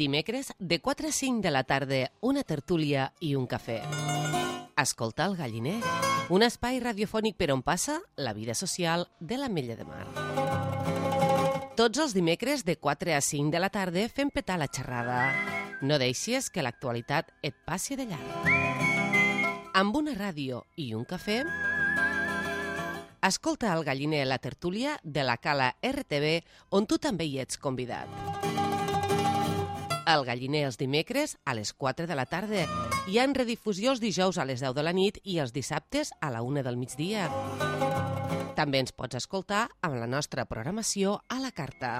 Dimecres, de 4 a 5 de la tarda, una tertúlia i un cafè. Escolta el Galliner, un espai radiofònic per on passa la vida social de l'Ametlla de Mar. Tots els dimecres, de 4 a 5 de la tarda, fem petar la xerrada. No deixis que l'actualitat et passi de llarg. Amb una ràdio i un cafè, escolta el Galliner, la tertúlia de la Cala RTV, on tu també hi ets convidat. El Galliner els dimecres a les 4 de la tarda. Hi ha redifusió els dijous a les 10 de la nit i els dissabtes a la 1 del migdia. També ens pots escoltar amb la nostra programació a la carta.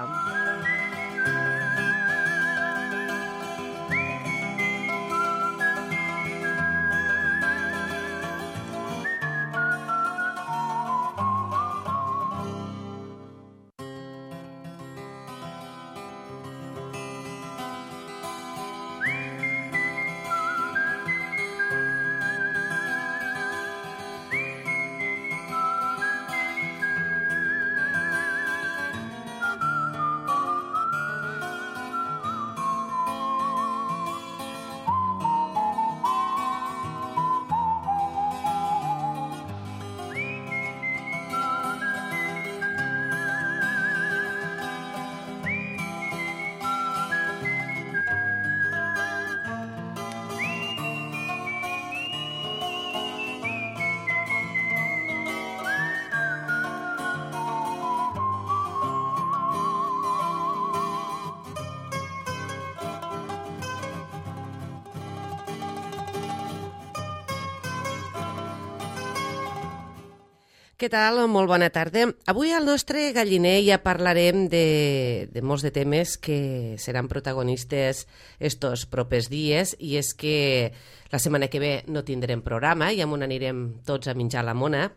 Què tal? Molt bona tarda. Avui al nostre Galliner ja parlarem de molts de temes que seran protagonistes estos propers dies, i és que la setmana que ve no tindrem programa i on anirem tots a menjar la mona.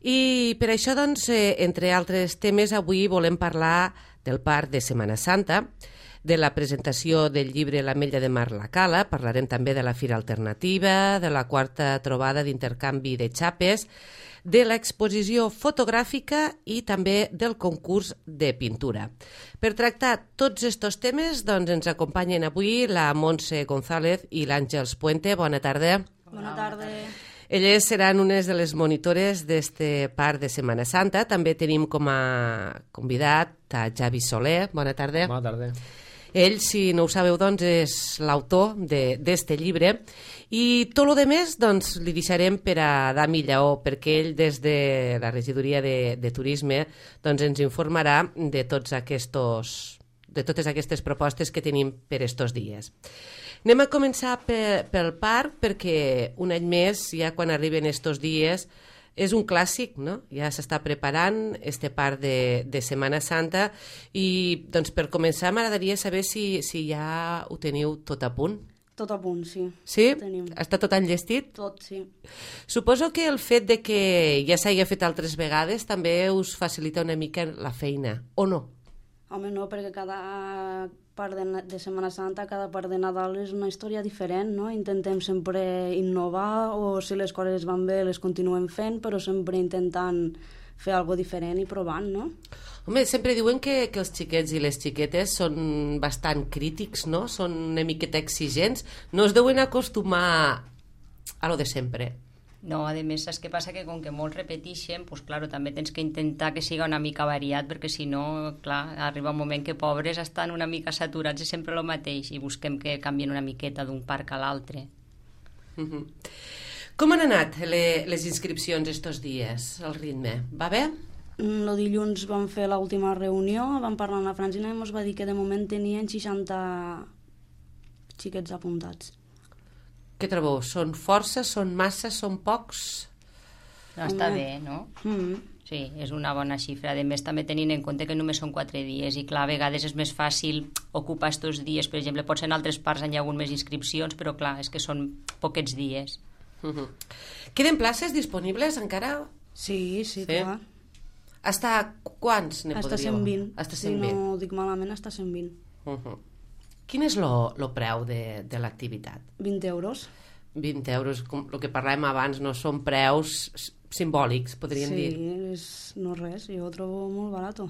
I per això, doncs, entre altres temes, avui volem parlar del parc de Setmana Santa, de la presentació del llibre L'Ametlla de Mar la Cala, parlarem també de la Fira Alternativa, de la quarta trobada d'intercanvi de xapes, de l'exposició fotogràfica i també del concurs de pintura. Per tractar tots aquests temes, doncs, ens acompanyen avui la Montse González i l'Àngels Puente. Bona tarda. Bona tarda. Elles seran unes de les monitores d'este parc de Setmana Santa. També tenim com a convidat a Javi Soler. Bona tarda. Bona tarda. Ell, si no ho sabeu, doncs, és l'autor d'este llibre. I tot el més, doncs, li deixarem per a Dami Lleó, perquè ell, des de la regidoria de turisme, doncs, ens informarà de totes aquestes propostes que tenim per estos dies. Anem a començar pel parc, perquè un any més, ja quan arriben estos dies, és un clàssic, no? Ja s'està preparant este parc de Setmana Santa i, doncs, per començar m'agradaria saber si ja ho teniu tot a punt. Tot a punt, sí. Sí? Tenim. Està tot enllestit? Tot, sí. Suposo que el fet de que ja s'hagi fet altres vegades també us facilita una mica la feina, o no? Home, no, perquè cada part de Setmana Santa, cada part de Nadal és una història diferent, no? Intentem sempre innovar, o si les coses van bé les continuem fent, però sempre intentant fer alguna diferent i provant, no? Home, sempre diuen que els xiquets i les xiquetes són bastant crítics, no? Són una miqueta exigents. No es deuen acostumar a lo de sempre. No, a més, saps què passa? Que com que molts repeteixen, pues, claro, també tens que intentar que siga una mica variat, perquè si no, clar, arriba un moment que pobres estan una mica saturats de sempre el mateix i busquem que canvien una miqueta d'un parc a l'altre. Com han anat les inscripcions estos dies, el ritme? Va bé? El dilluns vam fer l'última reunió, vam parlar amb la Francina i ens va dir que de moment tenien 60 xiquets apuntats. Què trobeu? Són força, són massa, són pocs? No, està bé, no? Sí, és una bona xifra. A més, també tenint en compte que només són 4 dies i, clar, a vegades és més fàcil ocupar aquests dies. Per exemple, potser en altres parts hi ha hagut més inscripcions, però, clar, és que són poquets dies. Queden places disponibles encara? Sí, clar. Hasta quants ne podríeu? Hasta 120. Hasta 120. Si no dic malament, hasta 120. Quin és el preu de l'activitat? 20 euros. 20 euros, com el que parlàvem abans, no són preus simbòlics, podríem dir. Sí, no res, jo ho trobo molt barat.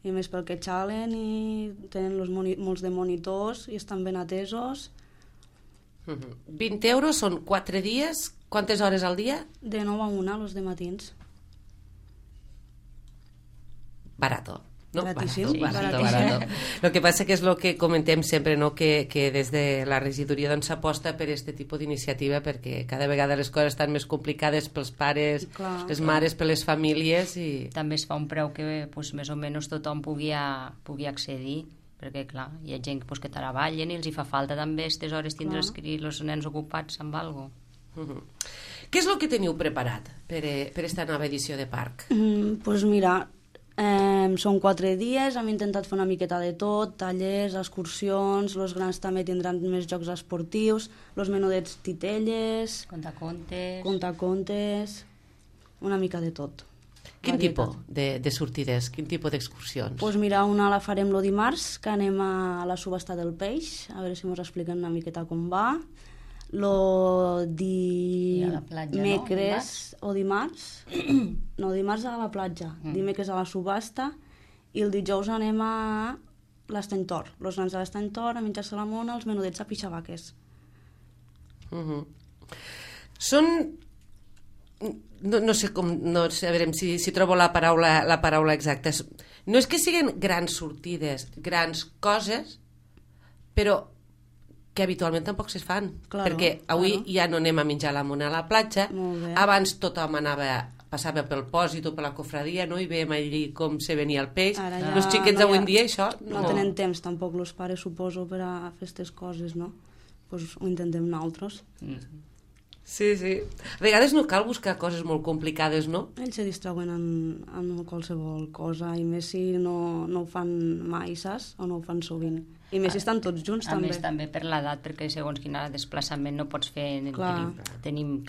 I més pel que xalen i tenen molts de monitors i estan ben atesos. 20 euros són 4 dies, quantes hores al dia? De 9 a 1, els de matins. Barato. No? Baratíssim. Barato. Lo que passa que és el que comentem sempre, no? que des de la regidoria doncs, s'aposta per aquest tipus d'iniciativa perquè cada vegada les coses estan més complicades pels pares, les mares, per les famílies i... També es fa un preu que pues, més o menys tothom pugui accedir, perquè clar, hi ha gent pues, que treballen i els hi fa falta també aquestes hores tindre els nens ocupats amb alguna cosa. Què és el que teniu preparat per aquesta nova edició de Parc? Doncs mira, són 4 dies, hem intentat fer una miqueta de tot, tallers, excursions, els grans també tindran més jocs esportius, els menudets titelles, contacontes, una mica de tot. Quin tipus de sortides, quin tipus d'excursions? Doncs mira, una la farem el dimarts, que anem a la subhasta del peix, a veure si ens expliquen una miqueta com va. Dimecres o dimarts no, dimarts a la platja, dimecres a la subhasta i el dijous anem a l'Estany Tor, els nens a l'Estany Tor a menjar-se la mona, els menudets a pixabaques. Són no sé com, no sé, a veure si trobo la paraula exacta. No és que siguin grans sortides, grans coses, però que habitualment tampoc se fan, perquè avui ja no anem a menjar la mona a la platja, abans tothom passava pel pòsit o per la cofradia, no? I veiem allí com se venia el peix. Els xiquets avui en dia això... No tenen temps tampoc els pares, suposo, per a fer aquestes coses, no? Doncs ho intentem nosaltres. Sí. A vegades no cal buscar coses molt complicades, no? Ells se distrauen en qualsevol cosa, i més si no ho fan mai, saps? O no ho fan sovint. I més si estan tots junts, també. A més, també per l'edat, perquè segons quin desplaçament no pots fer... Tenim,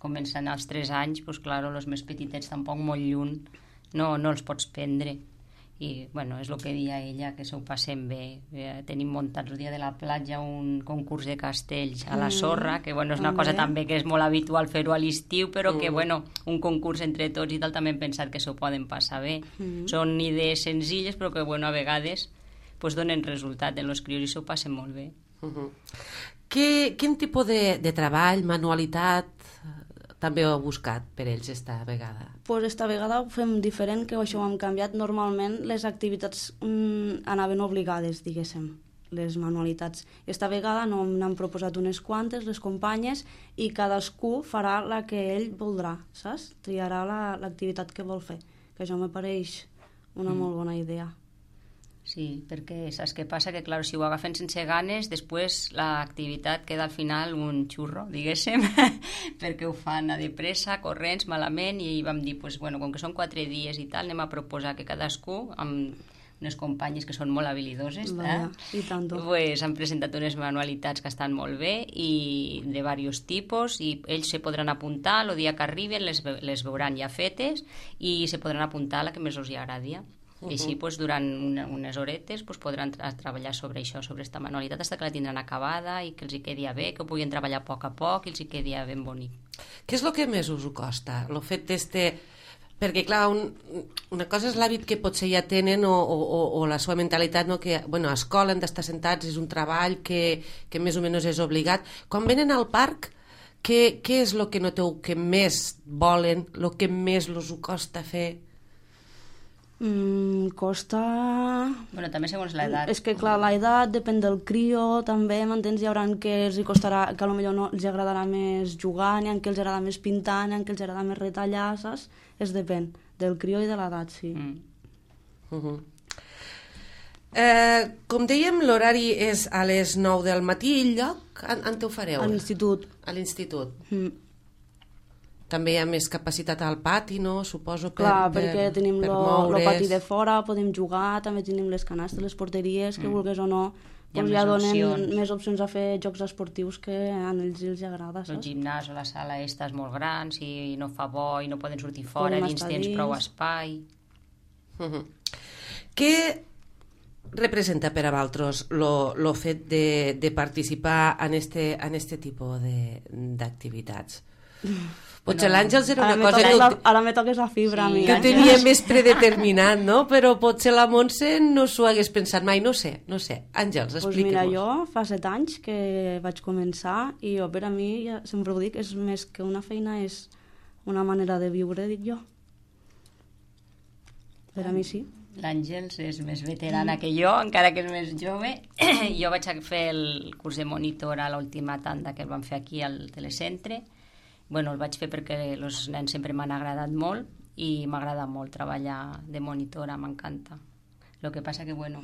comencen als 3 anys, doncs, clar, els més petitets tampoc molt lluny, no els pots prendre. I, bueno, és el que deia ella, que s'ho passem bé. Tenim muntat el dia de la platja un concurs de castells a la sorra, que, bueno, és una cosa també que és molt habitual fer-ho a l'estiu, però que, bueno, un concurs entre tots i tal, també hem pensat que s'ho poden passar bé. Són idees senzilles, però que, bueno, a vegades pues, donen resultat en els crios i s'ho passen molt bé. Quin tipus de treball, manualitat també ho heu buscat per ells esta vegada? Doncs esta vegada ho fem diferent, que això ho hem canviat. Normalment les activitats anaven obligades, diguéssim, les manualitats. Esta vegada no n'han proposat unes quantes, les companyes, i cadascú farà la que ell voldrà, saps? Triarà l'activitat que vol fer, que això me pareix una molt bona idea. Sí, perquè saps què passa? Que, clar, si ho agafen sense ganes, després l'activitat queda al final un xurro, diguéssim, perquè ho fan a de pressa, corrents, malament, i vam dir, pues, bueno, com que són 4 dies i tal, anem a proposar que cadascú, amb unes companyes que són molt habilidoses, pues, han presentat unes manualitats que estan molt bé i de diversos tipus, i ells se podran apuntar el dia que arriben, les veuran ja fetes i se podran apuntar a la que més els agradi. I així, doncs, durant unes horetes podran treballar sobre això, sobre aquesta manualitat, fins que la tindran acabada i que els hi quedi bé, que ho puguin treballar a poc i els hi quedi ben bonic. Què és el que més us ho costa? El fet perquè, clar, una cosa és l'hàbit que potser ja tenen o la seva mentalitat, no? Que, bueno, a escola han d'estar sentats, és un treball que més o menys és obligat. Quan venen al parc, què és el que noteu que més volen, el que més els ho costa fer? Costa... Bueno, també segons l'edat. És que, clar, l'edat depèn del crio, també, m'entens? Hi haurà que els hi costarà, que potser no els agradarà més jugar, n'hi ha que els agrada més pintar, n'hi ha que els agrada més retallar, saps? Es depèn del crio i de l'edat, sí. Com dèiem, l'horari és a les 9 del matí i el lloc on ho fareu? A l'institut. A l'institut. També hi ha més capacitat al pati, no? Suposo perquè tenim el pati de fora, podem jugar, també tenim les canastes, les porteries, que vulguis o no, ja donen més opcions a fer jocs esportius que a ells els agrada, saps? El gimnàs o la sala és molt gran, si no fa bo i no poden sortir fora, dins tens prou espai. Què representa per a vosaltres el fet de participar en este tipus d'activitats? Potser l'Àngels era una cosa ara me toques la fibra a mi. Que tenia més predeterminat, no? Però potser la Montse no s'ho hagués pensat mai, no sé. Àngels, explica-mos. Pues mira, jo fa 7 anys que vaig començar i jo, per a mi, ja sempre ho dic, és més que una feina, és una manera de viure, dic jo. Per a mi sí. L'Àngels és més veterana que jo, encara que és més jove. Jo vaig fer el curs de monitor a l'última tanda que el vam fer aquí al telecentre. Bueno, el vaig fer perquè els nens sempre m'han agradat molt i m'agrada molt treballar de monitora, m'encanta. El que passa que, bueno,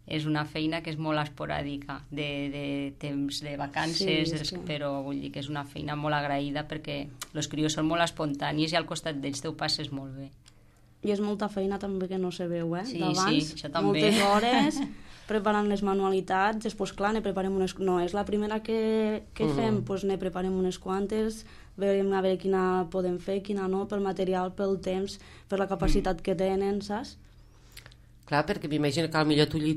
és una feina que és molt esporàdica, de temps de vacances, sí, però vull dir que és una feina molt agraïda perquè els crios són molt espontanis i al costat d'ells t'ho passes molt bé. I és molta feina també que no se veu, Sí, d'abans, això també. Moltes hores preparant les manualitats, després clar, ne preparem unes... No, és la primera que fem, doncs ne preparem unes quantes, veurem a veure quina podem fer, quina no, pel material, pel temps, per la capacitat que tenen, saps? Clar, perquè m'imagino que potser tu li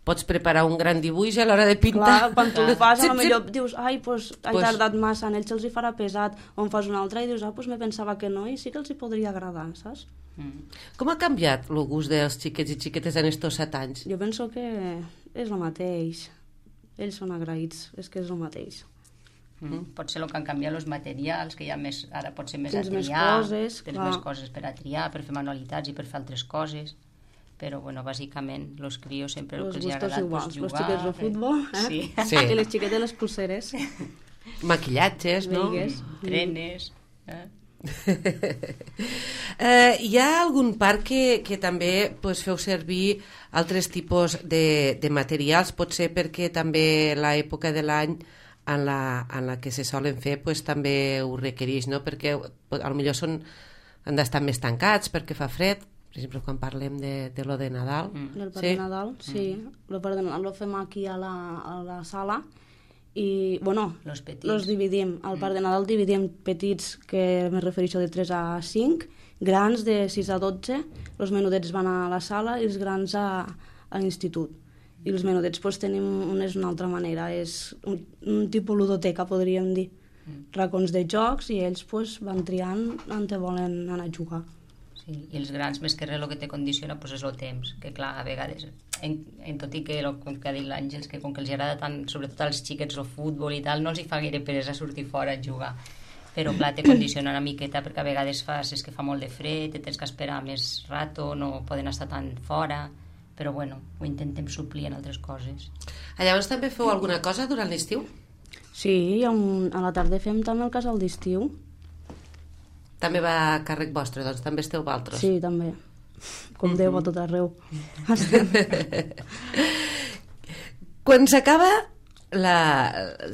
pots preparar un gran dibuix a l'hora de pintar. Clar, quan tu li fas, potser dius, ai, doncs he tardat massa, en ells se'ls hi farà pesat, o en fas un altre i dius, doncs me pensava que no, i sí que els hi podria agradar, saps? Com ha canviat el gust dels xiquets i xiquetes en estos 7 anys? Jo penso que és el mateix. Ells són agraïts, és que és el mateix. Pot ser el que han canviat els materials, que hi ha més, ara pot ser més tens a triar, tens més coses per a triar, per fer manualitats i per fer altres coses. Però, bueno, bàsicament, els crios sempre el que els ha agradat és jugar. Els xiquets de futbol, Sí. I les xiquetes les pulseres. Maquillatges, no? Trenes. Hi ha algun parc que també feu servir altres tipus de materials, potser perquè també l'època de l'any en la que se solen fer també ho requereix, no? Perquè potser han d'estar més tancats perquè fa fred, per exemple quan parlem de lo de Nadal. Del parc de Nadal, sí. El parc de Nadal lo fem aquí a la sala i, bueno, los dividim. Al parc de Nadal dividim petits, que me refereixo de 3 a 5, grans de 6 a 12, els menudets van a la sala i els grans a l'institut. I els menudets tenim una altra manera, és un tipus ludoteca, podríem dir. Racons de jocs i ells van triant on te volen anar a jugar. Sí, i els grans, més que res, el que te condiciona és el temps, que clar, a vegades, tot i que, com que ha dit l'Àngels, que com que els agrada tant, sobretot als xiquets, el futbol i tal, no els hi fa gaire peresa sortir fora a jugar. Però clar, te condiciona una miqueta perquè a vegades és que fa molt de fred, tens que esperar més rato, no poden estar tan fora, però bueno, ho intentem suplir en altres coses. Llavors també feu alguna cosa durant l'estiu? Sí, a la tarda fem també el casal d'estiu. També va a càrrec vostre, doncs també esteu vosaltres. Sí, també. Com Déu a tot arreu. Quan s'acaba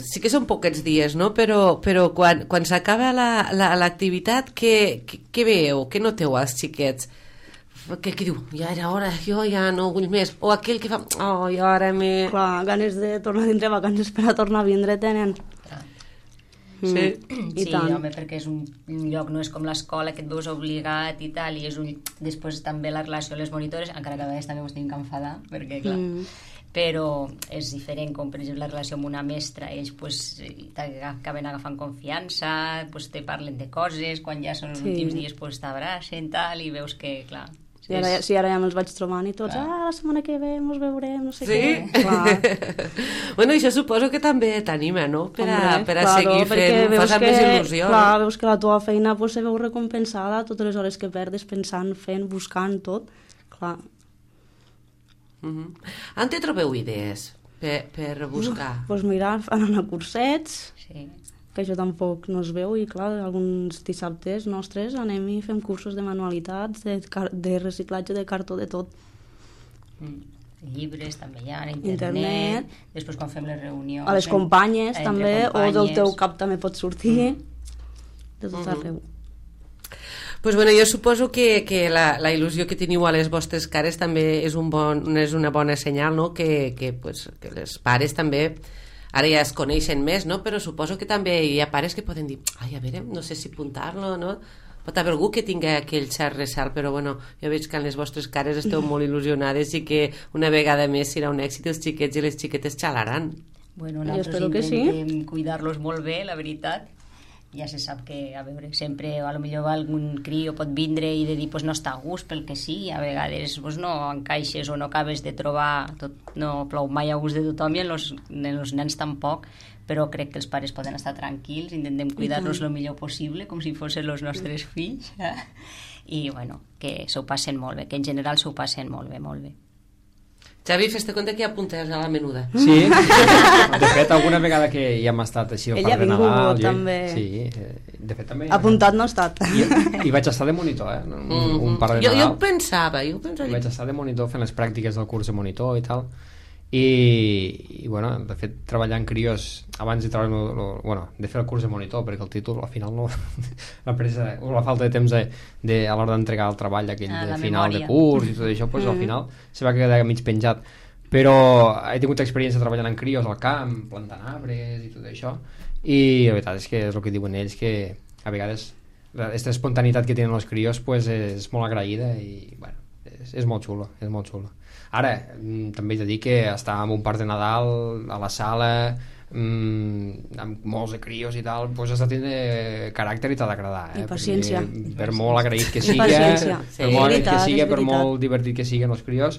sí que són poquets dies, no? Però quan s'acaba l'activitat, què veieu? Què noteu als xiquets? Aquell que diu, ja era hora, jo ja no vull més. O aquell que fa, i ara me... Clar, ganes de tornar a dintre vacances per a tornar a vindre tenen. Sí, home, perquè és un lloc, no és com l'escola que et veus obligat i tal, i és després també la relació amb les monitores, encara que a vegades també ens tenim que enfadar, perquè clar, però és diferent, com per exemple la relació amb una mestra, ells t'acaben agafant confiança, te parlen de coses, quan ja són els últims dies t'abracen tal, i veus que, clar... Ara ja me'ls vaig trobant i tots, la setmana que ve mos veurem, no sé què. Bueno, això suposo que també t'anima, no? Per a seguir fent, fas amb més il·lusió. Clar, veus que la teva feina se veu recompensada, totes les hores que perdes pensant, fent, buscant, tot. Clar. On te trobeu idees per buscar? Doncs mira, anant a cursets... Sí. Que això tampoc no es veu i clar, alguns dissabtes nostres anem i fem cursos de manualitats, de reciclatge de cartó, de tot. Llibres també hi ha, internet. Després quan fem les reunions... A les companyes també, o del teu cap també pot sortir, de tot arreu. Pues bueno, jo suposo que la il·lusió que teniu a les vostres cares també és una bona senyal, no? Que les pares també ara ja es coneixen més, no? Però suposo que també hi ha pares que poden dir, ai, a veure, no sé si apuntar-lo, no? Pot haver algú que tingui aquell cert ressalt, però bueno, jo veig que en les vostres cares esteu molt il·lusionades i que una vegada més serà un èxit, els xiquets i les xiquetes xalaran. Bueno, nosaltres intentem cuidar-los molt bé, la veritat, ja se sap que, a veure, sempre a lo millor algun crio pot vindre i de dir pues, no està a gust pel que sigui, a vegades pues, no encaixes o no acabes de trobar, no plou mai a gust de tothom i en els nens tampoc, però crec que els pares poden estar tranquils, intentem cuidar-los el millor possible, com si fossin els nostres fills, i bueno, que s'ho passen molt bé, que en general s'ho passen molt bé, molt bé. Xavi, fes-te compte que hi ha punters a la menuda. Sí, de fet, alguna vegada que hi hem estat així al Ella Parc de Nadal... també. Sí, de fet també... Apuntat no ha estat. I vaig estar de monitor, un Parc de Nadal. Jo pensava... Vaig estar de monitor fent les pràctiques del curs de monitor i tal. I bueno, de fet, treballant crios abans de treballar, de fer el curs de monitor, perquè el títol al final no la pressa o la falta de temps a l'hora d'entregar el treball aquell de final de curs i tot això, pues, al final se va quedar mig penjat, però he tingut experiència treballant en crios al camp, plantant arbres i tot això, i la veritat és que és el que diuen ells, que a vegades aquesta espontaneïtat que tenen els crios pues, és molt agraïda i bueno, és molt xulo, és molt xulo. Ara, també he de dir que estar en un parc de Nadal a la sala amb molts de crios i tal, doncs has de tindre caràcter i t'ha d'agradar, i paciència, per molt agraït que siga, per molt agraït que siga, per molt divertit que siguin els crios,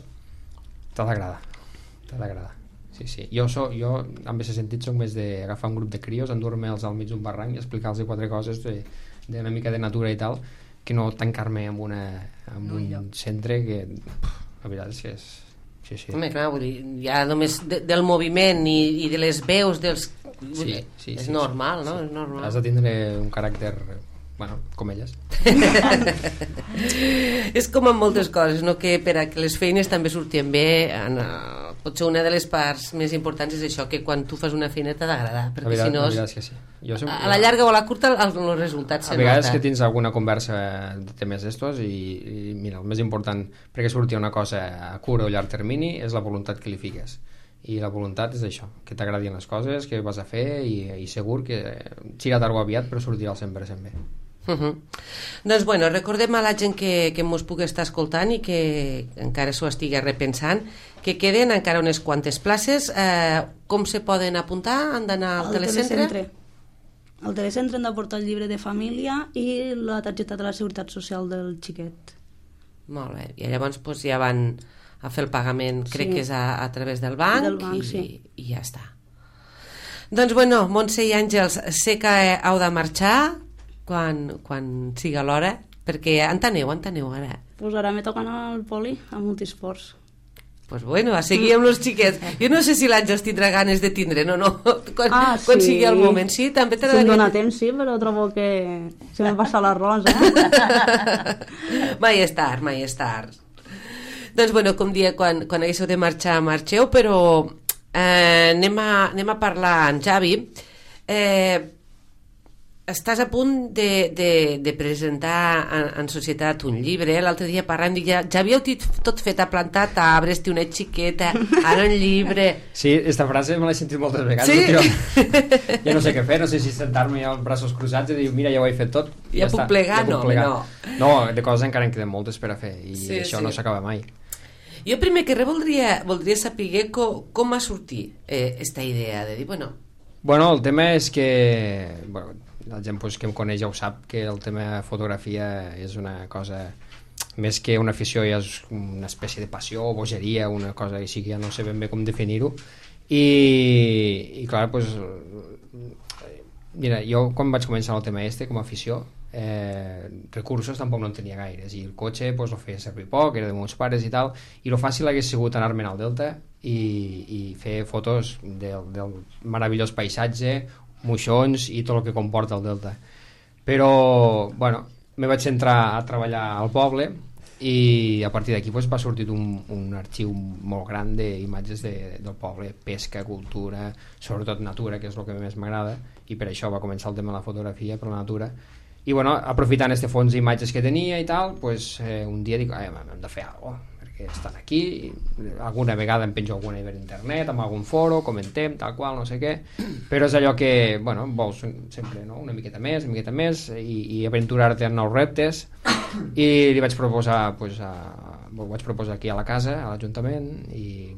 t'ha d'agradar. Sí. Jo en aquest sentit soc més d'agafar un grup de crios, endur-me'ls al mig d'un barranc i explicar-los 4 coses d'una mica de natura i tal, que no tancar-me en un centre que la veritat és que és... Sí. Home, clar, vull dir, ja només del moviment i de les veus dels... Sí, és normal, no? Sí. És normal. Has de tindre un caràcter, com elles. És com en moltes coses, no? Que per a que les feines també surtin bé, potser una de les parts més importants és això, que quan tu fas una feina t'ha d'agradar, perquè si no... La veritat és que sí. A la llarga o a la curta els resultats se nota. A vegades nota. que tens alguna conversa de temes d'estos i mira, el més important perquè surti una cosa a curt o llarg termini és la voluntat que li fiques, i la voluntat és això, que t'agradin les coses que vas a fer i segur que serà tard o aviat però sortirà al 100% bé. Doncs bueno, recordem a la gent que mos pugui estar escoltant i que encara s'ho estigui repensant que queden encara unes quantes places. Com se poden apuntar? Han d'anar al telecentre? Al telecentre hem de portar el llibre de família i la targeta de la Seguretat Social del xiquet. Molt bé, i llavors doncs, ja van a fer el pagament, crec que és a través del banc, i ja està. Doncs bueno, Montse i Àngels, sé que heu de marxar quan siga l'hora, perquè on aneu ara? Pues ara me toca anar al poli, a multisports. Pues bueno, a seguir amb els xiquets. Jo no sé si l'Àngels tindrà ganes de tindre, no. Quan sigui el moment, sí? També si em dóna temps, sí, però trobo que se me passa l'arròs, Mai és tard. Doncs bueno, com dia, quan haguéssiu de marxar, marxeu, però anem a parlar amb Xavi. Estàs a punt de presentar en societat un llibre. L'altre dia parlant, dic, ja havíeu tot fet, a plantar arbres, té una xiqueta, ara un llibre. Sí, aquesta frase me l'he sentit moltes vegades. Sí? Ja no sé què fer, no sé si sentar-me amb els braços cruzats i dir, mira, ja ho he fet tot. Ja puc plegar? No, de coses encara en queden moltes per a fer i això no s'acaba mai. Jo primer que res voldria saber com va sortir aquesta idea de dir, Bueno, el tema és que... la gent que em coneix ja ho sap, que el tema fotografia és una cosa més que una afició, ja és una espècie de passió o bogeria, una cosa així que ja no sé ben bé com definir-ho, i clar, doncs mira, jo quan vaig començar el tema com a afició, recursos tampoc no en tenia gaires, i el cotxe el feia servir poc, era de meus pares i tal, i el fàcil hagués sigut anar-me'n al Delta i fer fotos del meravellós paisatge, moixons i tot el que comporta el Delta. Però, me vaig entrar a treballar al poble i a partir d'aquí va sortir un arxiu molt gran d'imatges del poble, pesca, cultura, sobretot natura, que és el que més m'agrada, i per això va començar el tema de la fotografia per la natura. I aprofitant este fons d'imatges que tenia i tal, un dia dic, hem de fer alguna cosa, perquè estan aquí, alguna vegada em penjo alguna per internet, amb algun foro, comentem, tal qual, no sé què, però és allò que, vols sempre, no? Una miqueta més, i aventurar-te en nous reptes, i li vaig proposar, ho vaig proposar aquí a la casa, a l'Ajuntament, i,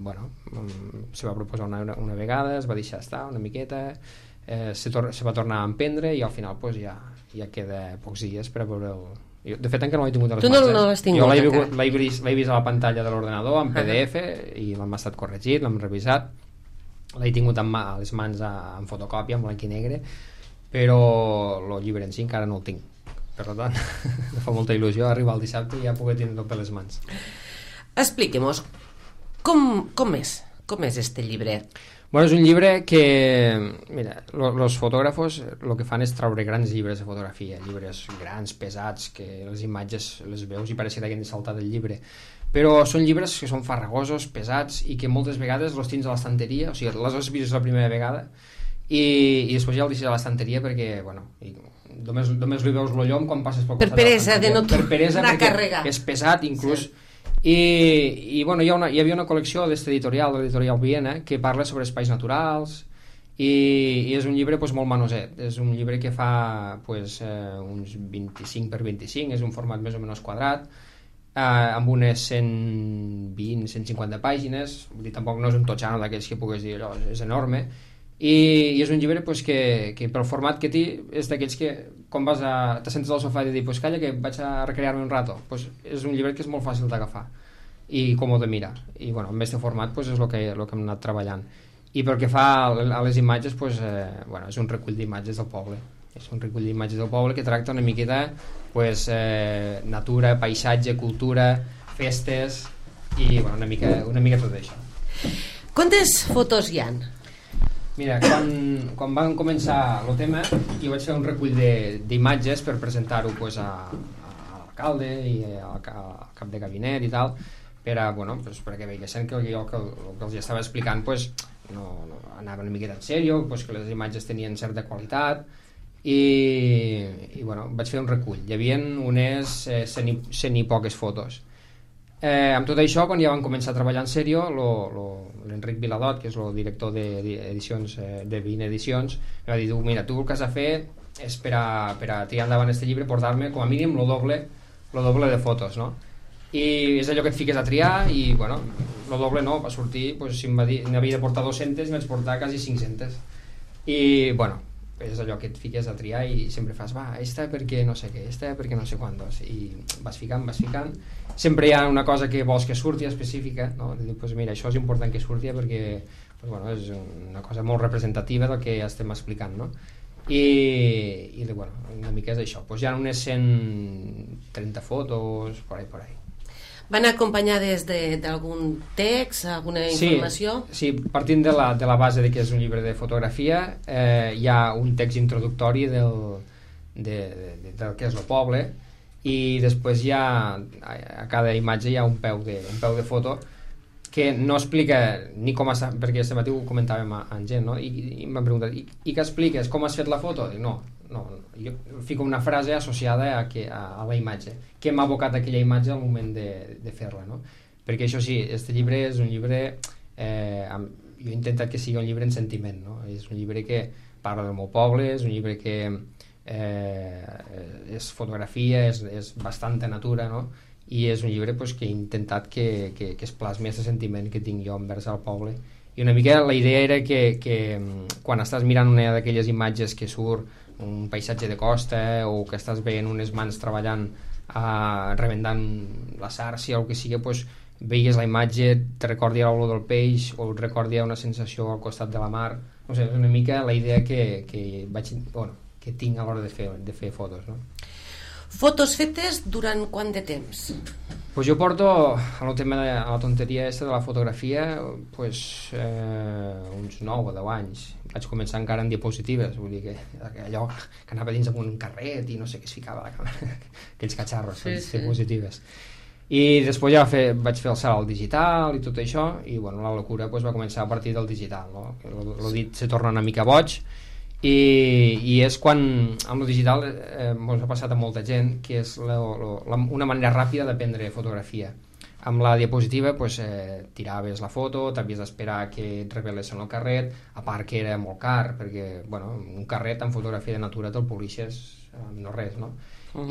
se va proposar una vegada, es va deixar estar una miqueta, se va tornar a emprendre i al final pues, ja queda pocs dies per a veure jo, de fet encara no l'he tingut a les mans. Tu no l'has tingut jo l'he vist a la pantalla de l'ordenador en PDF i l'hem estat corregit, l'hem revisat, l'he tingut a les mans en fotocòpia, en blanc i negre, però el llibre en si encara no el tinc, per tant em fa molta il·lusió arribar el dissabte i ja poder tenir-lo per les mans. Expliquem-nos com és este llibre? Bueno, és un llibre que, mira, els fotògrafos el que fan és traure grans llibres de fotografia, llibres grans, pesats, que les imatges les veus i pareix que t'hagin de saltar del llibre. Però són llibres que són farragosos, pesats, i que moltes vegades els tens a l'estanteria, o sigui, les has vist la primera vegada, i després ja el deixes a l'estanteria perquè, bueno, només li veus el llom quan passes pel costat. Per peresa de no tornar a carregar. És pesat, inclús. Sí. I bueno, hi havia una col·lecció d'este editorial, de l'editorial Viena, que parla sobre espais naturals i és un llibre pues, molt manoset. És un llibre que fa pues, uns 25 per 25, és un format més o menys quadrat, amb unes 120-150 pàgines, vull dir, tampoc no és un totxano d'aquells que puguis dir allò, és enorme, i és un llibre pues, que pel format que té és d'aquells que quan te sentes al sofà i dir pues, calla que vaig a recrear-me un rato, pues, és un llibre que és molt fàcil d'agafar i còmode de mirar, i bueno, amb aquest format pues, és el que hem anat treballant. I pel que fa a les imatges pues, bueno, és un recull d'imatges del poble, és un recull d'imatges del poble que tracta una miqueta pues, natura, paisatge, cultura, festes i bueno, una mica tot això. Quantes fotos hi ha? Mira, quan van començar el tema jo vaig fer un recull d'imatges per presentar-ho pues, a l'alcalde i al cap de gabinet i tal, perquè veiessin que jo que els estava explicant pues, no anava una miqueta en sèrio, pues, que les imatges tenien certa qualitat i bueno, vaig fer un recull. Hi havia unes 100 i poques fotos. Amb tot això, quan ja van començar a treballar en sèrio, l'Enric Viladot, que és el director d'edicions de 20 edicions, em va dir, mira, tu el que has de fer és per a tirar endavant aquest llibre portar-me com a mínim el doble de fotos, no? I és allò que et fiques a triar i, bueno, el doble no, va sortir, pues, si n'havia de portar 200 i vaig portar quasi 500 i, bueno, és allò que et fiques a triar i sempre fas, esta perquè no sé què, esta perquè no sé quantos, i vas ficant, sempre hi ha una cosa que vols que surti específica, no? Dius, pues mira, això és important que surti perquè pues, bueno, és una cosa molt representativa del que estem explicant, no? I bueno, una mica és això, pues hi ha unes 130 fotos por ahí. Van acompanyades d'algun text, alguna informació? Sí, partint de la base de que és un llibre de fotografia, hi ha un text introductori del que és el poble, i després hi ha a cada imatge hi ha un peu de foto que no explica ni com està, perquè aquest matí ho comentàvem amb gent, no? I m'han preguntat, i què expliques? Com has fet la foto? Dic, no, jo fico una frase associada a la imatge, que m'ha abocat aquella imatge al moment de fer-la, no? Perquè això sí, este llibre és un llibre jo he intentat que sigui un llibre en sentiment, no? És un llibre que parla del meu poble, és un llibre que és fotografia, és bastanta natura, no? I és un llibre pues, que he intentat que es plasmi aquest sentiment que tinc jo envers el poble. I una mica la idea era que quan estàs mirant una d'aquelles imatges que surt un paisatge de costa o que estàs veient unes mans treballant remendant la sàrcia o el que sigui, pues, veigues la imatge, te recordi l'olor del peix o et recordi una sensació al costat de la mar. No sé, és una mica la idea que tinc a l'hora de fer fotos, no? Fotos fetes durant quant de temps? Pues jo porto a la tonteria aquesta de la fotografia pues, uns 9 o 10 anys. Vaig començar encara en diapositives, vull dir que allò que anava dins amb un carret i no sé què es ficava a la càmera, aquells catxarros, diapositives. I després ja vaig fer el salt al digital i tot això, i bueno, la locura pues, va començar a partir del digital, no? El dit se torna una mica boig, i és quan amb el digital ens ha passat a molta gent que és una manera ràpida de prendre fotografia. Amb la diapositiva pues, tiraves la foto, t'havies d'esperar que et revelessin el carret, a part que era molt car perquè bueno, un carret amb fotografia de natura te'l polixes no res, no?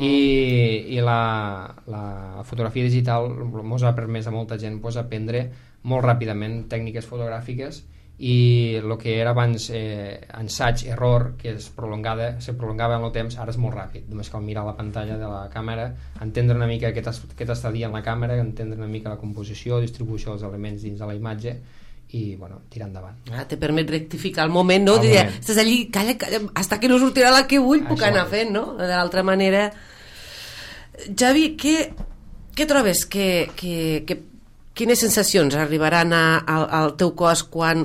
I la fotografia digital ens ha permès a molta gent pues, aprendre molt ràpidament tècniques fotogràfiques i el que era abans ensaig, error, que se prolongava en el temps, ara és molt ràpid, només cal mirar la pantalla de la càmera, entendre una mica què t'està dient la càmera, entendre una mica la composició, distribució dels elements dins de la imatge i, bueno, tirar endavant. Te permet rectificar el moment, no? Estàs allí, calla, hasta que no sortirà la que vull, puc anar fent, no? De l'altra manera... Javi, què trobes? Quines sensacions arribaran al teu cos quan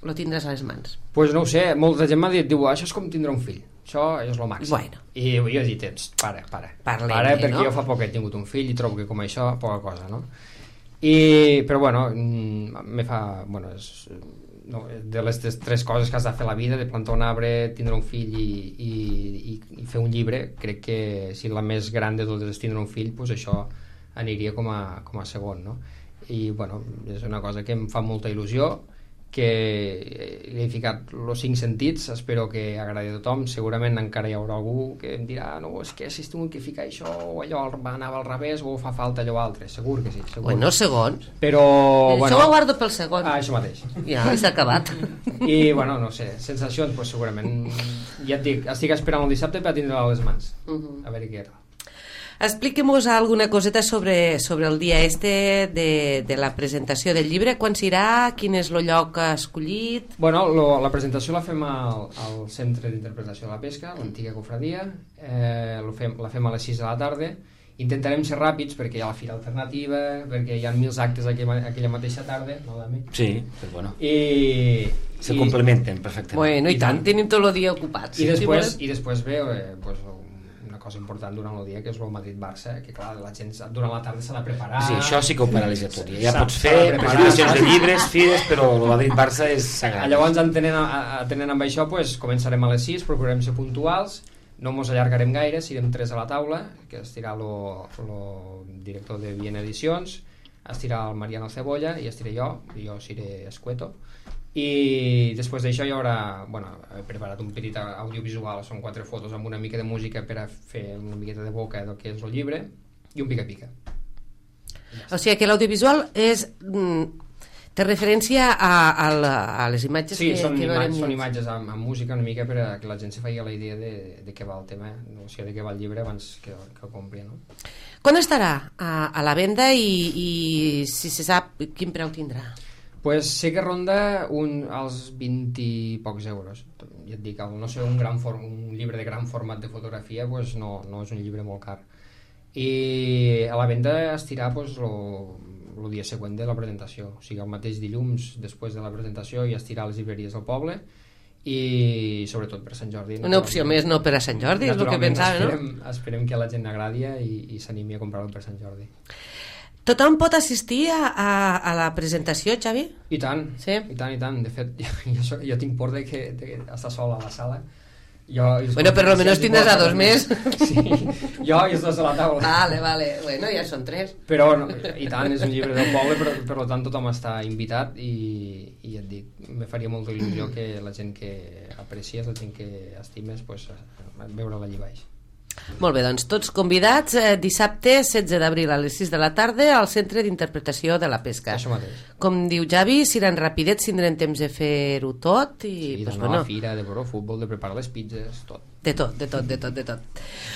lo tindràs a les mans? Pues no ho sé, molta gent m'ha dit, això és com tindre un fill, això és el màxim. Bueno. I jo he dit, para, perquè no? Jo fa poc he tingut un fill i trobo que com això, poca cosa, no? Però bueno, de les tres coses que has de fer a la vida, de plantar un arbre, tindre un fill i fer un llibre, crec que si la més gran de totes és tindre un fill, doncs això aniria com a segon, no? I bueno, és una cosa que em fa molta il·lusió, que li he ficat els 5 sentits, espero que agradi a tothom. Segurament encara hi haurà algú que em dirà, no, és que si has tingut que ficar això o allò anava al revés o fa falta allò altre, segur que sí, segur. Bueno, segons. Però, això ho guardo pel segon. Això mateix. Ja, s'ha acabat. I bueno, no sé, sensacions, pues segurament, ja et dic, estic esperant el dissabte per tindre-la a les mans, a veure què tal. Expliquem-nos alguna coseta sobre el dia de la presentació del llibre. Quan serà? Quin és el lloc escollit? Bueno, la presentació la fem al Centre d'Interpretació de la Pesca, l'antiga cofradia. La fem a les 6 de la tarda. Intentarem ser ràpids perquè hi ha la fira alternativa, perquè hi ha 1000 actes aquella mateixa tarda, no, Dami? Sí, però bueno. Se I complementen perfectament. Bueno, i tant, tenim tot el dia ocupats. I després ve una cosa important durant el dia, que és el Madrid-Barça, que clar, la gent durant la tarda s'ha de preparar. Sí, això sí que ho paralitza tot. Ja pots fer presentacions de llibres, fires, però el Madrid-Barça és sagrat. Llavors, atenent amb això, pues, començarem a les 6, procurarem ser puntuals, no mos allargarem gaire, serem 3 a la taula, que estirà el director de Viena Edicions, estirà el Mariano Cebolla i estiré jo seré Escueto. I després d'això hi haurà, he preparat un petit audiovisual, són 4 fotos amb una mica de música per a fer una miqueta de boca del que és el llibre i un pica-pica. O sigui que l'audiovisual té referència a les imatges que veurem. Són imatges amb música una mica per a que la gent se faci la idea de què va el tema, o sigui, de què va el llibre abans que el compri, no? Quan estarà a la venda i si se sap quin preu tindrà? Pues sé que ronda als 20 i pocs euros. Ja et dic, no sé, un llibre de gran format de fotografia pues no és un llibre molt car. I a la venda estirà pues, el dia següent de la presentació, o sigui, el mateix dilluns després de la presentació ja estirà a les llibreries del poble i sobretot per Sant Jordi. Una opció més no per a Sant Jordi, és el que pensava, no? Esperem que a la gent agradi i s'animi a comprar-lo per Sant Jordi. Tothom pot assistir a la presentació, Xavi? I tant, sí? I tant. De fet, jo tinc por d'estar sol a la sala. Bueno, per almenys tindràs a 2 més. Sí, jo i els 2 a la taula. Vale. Bueno, ja són 3. Però, i tant, és un llibre del poble, però per tant tothom està invitat i et dic, me faria molta il·lusió que la gent que aprecies, la gent que estimes, pues, veure-la allà baix. Molt bé, doncs tots convidats dissabte 16 d'abril a les 6 de la tarda al Centre d'Interpretació de la Pesca. Això mateix. Com diu Javi, seran rapidets, tindrem temps de fer-ho tot i, sí, d'anar a la fira, de veure el futbol, de preparar les pizzas, tot. De tot.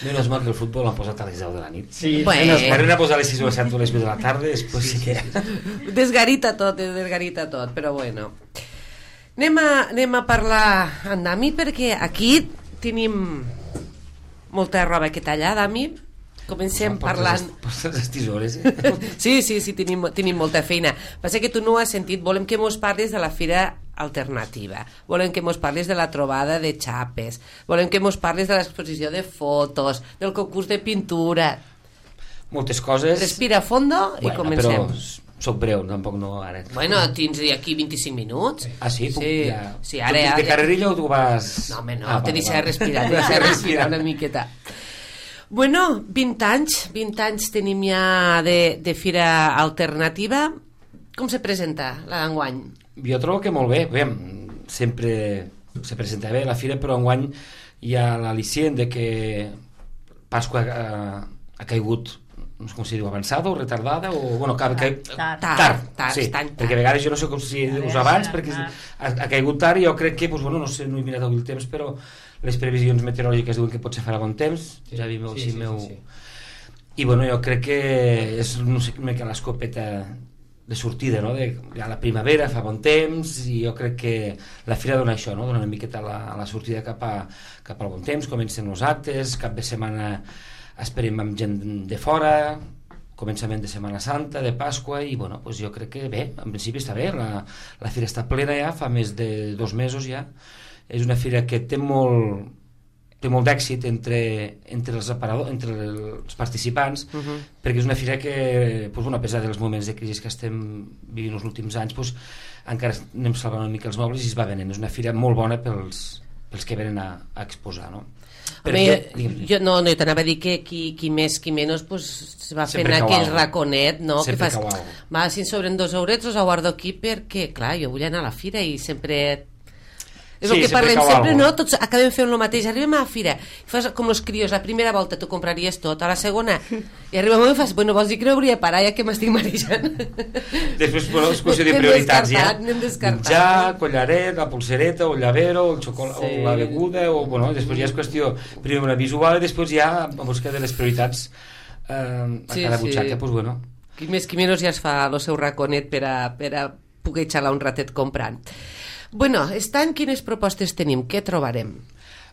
Menos mal que el futbol l'han posat a les 10 de la nit. Sí, bueno. M'han posat a les 6 o a les 7 o a les 8 de la tarda, després sí que... Desgarita tot, però bueno. Anem a parlar amb Dami, perquè aquí tenim molta roba que tallar, Dami. Comencem parlant... Portes les tisores, Sí, tenim molta feina. Passa que tu no ho has sentit. Volem que mos parles de la fira alternativa. Volem que mos parles de la trobada de xapes. Volem que mos parles de l'exposició de fotos, del concurs de pintura. Moltes coses. Respira a fondo i comencem. Però soc breu, tampoc no ara. Bueno, tens aquí 25 minuts. Ah, sí? Sí, ara... De carrerilla o tu vas... No, home, no, te deixa respirar una miqueta. Bueno, 20 anys tenim ja de fira alternativa. Com se presenta la d'enguany? Jo trobo que molt bé. Sempre se presenta bé la fira, però enguany hi ha l'al·licient de que Pasqua ha caigut no sé com si diu, avançada o retardada o, bueno, tard, sí, perquè a vegades jo no sé com si dius abans perquè ha caigut tard i jo crec que, doncs, bueno, no sé, no he mirat avui el temps, però les previsions meteorològiques diuen que potser farà bon temps, ja vi meu, sí. I bueno, jo crec que és, no sé, una mica l'escopeta de sortida, no? A la primavera fa bon temps i jo crec que la fira dona això, no? Dona una miqueta la sortida cap al bon temps, comencen els actes, cap de setmana esperem amb gent de fora, començament de Setmana Santa, de Pasqua, i bueno, doncs jo crec que bé, en principi està bé, la fira està plena ja, fa més de 2 mesos ja, és una fira que té molt d'èxit entre els participants, perquè és una fira que, doncs, bueno, a pesar dels moments de crisi que estem vivint els últims anys, doncs, encara anem salvant una mica els mobles i es va venent, és una fira molt bona pels que venen a exposar, no? Jo t'anava a dir que qui més qui menys pues, va fent aquell raconet, no? Que fas, va, si em sobren 2 eurets els guardo aquí perquè, clar, jo vull anar a la fira i sempre... És el que parlem sempre, no? Tots acabem fent el mateix, arribem a la fira i fas com els crios, la primera volta t'ho compraries tot, a la segona i arriba un moment i fas, bueno, vols dir que no hauria de parar ja que m'estic marejant. Després, bueno, és qüestió de prioritats ja, menjar, collaret, la pulsereta o el llavero o el xocolat, o la beguda o, bueno, després ja és qüestió primer una visual i després ja a buscar de les prioritats a cada butxaca, doncs bueno, qui més qui menys ja es fa el seu raconet per a poder xalar un ratet comprant. Bueno, aquest any quines propostes tenim? Què trobarem?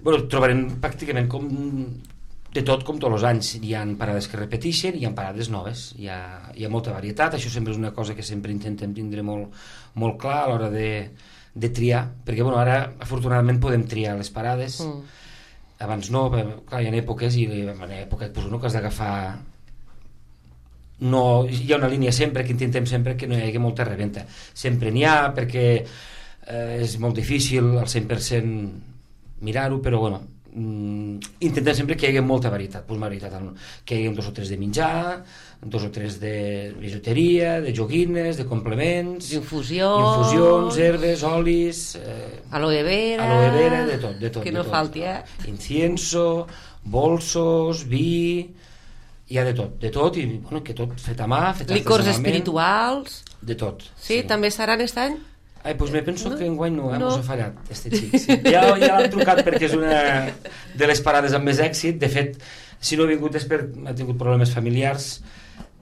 Bueno, trobarem pràcticament com de tot, com tots els anys. Hi ha parades que repeteixen, hi ha parades noves, hi ha molta varietat. Això sempre és una cosa que sempre intentem tindre molt clar a l'hora de triar, perquè bueno, ara afortunadament podem triar les parades. Abans no, clar, hi ha èpoques i en època pues, que has d'agafar... No, hi ha una línia sempre que intentem sempre que no hi hagi molta reventa. Sempre n'hi ha, perquè és molt difícil al 100% mirar-ho, però bueno, intentem sempre que hi hagi molta varietat, que hi hagi 2 o 3 de menjar, 2 o 3 de bijuteria, de joguines, de complements, infusions, herbes, olis, aloe vera, de tot, que no falti, incienso, bolsos, vi, hi ha de tot i bueno, que tot fet a mà, fet licors espirituals, de tot. Sí, també seran aquest any? Doncs me penso que enguany no, mos ha fallat este xic. Ja l'han trucat perquè és una de les parades amb més èxit. De fet, si no ha vingut és perquè ha tingut problemes familiars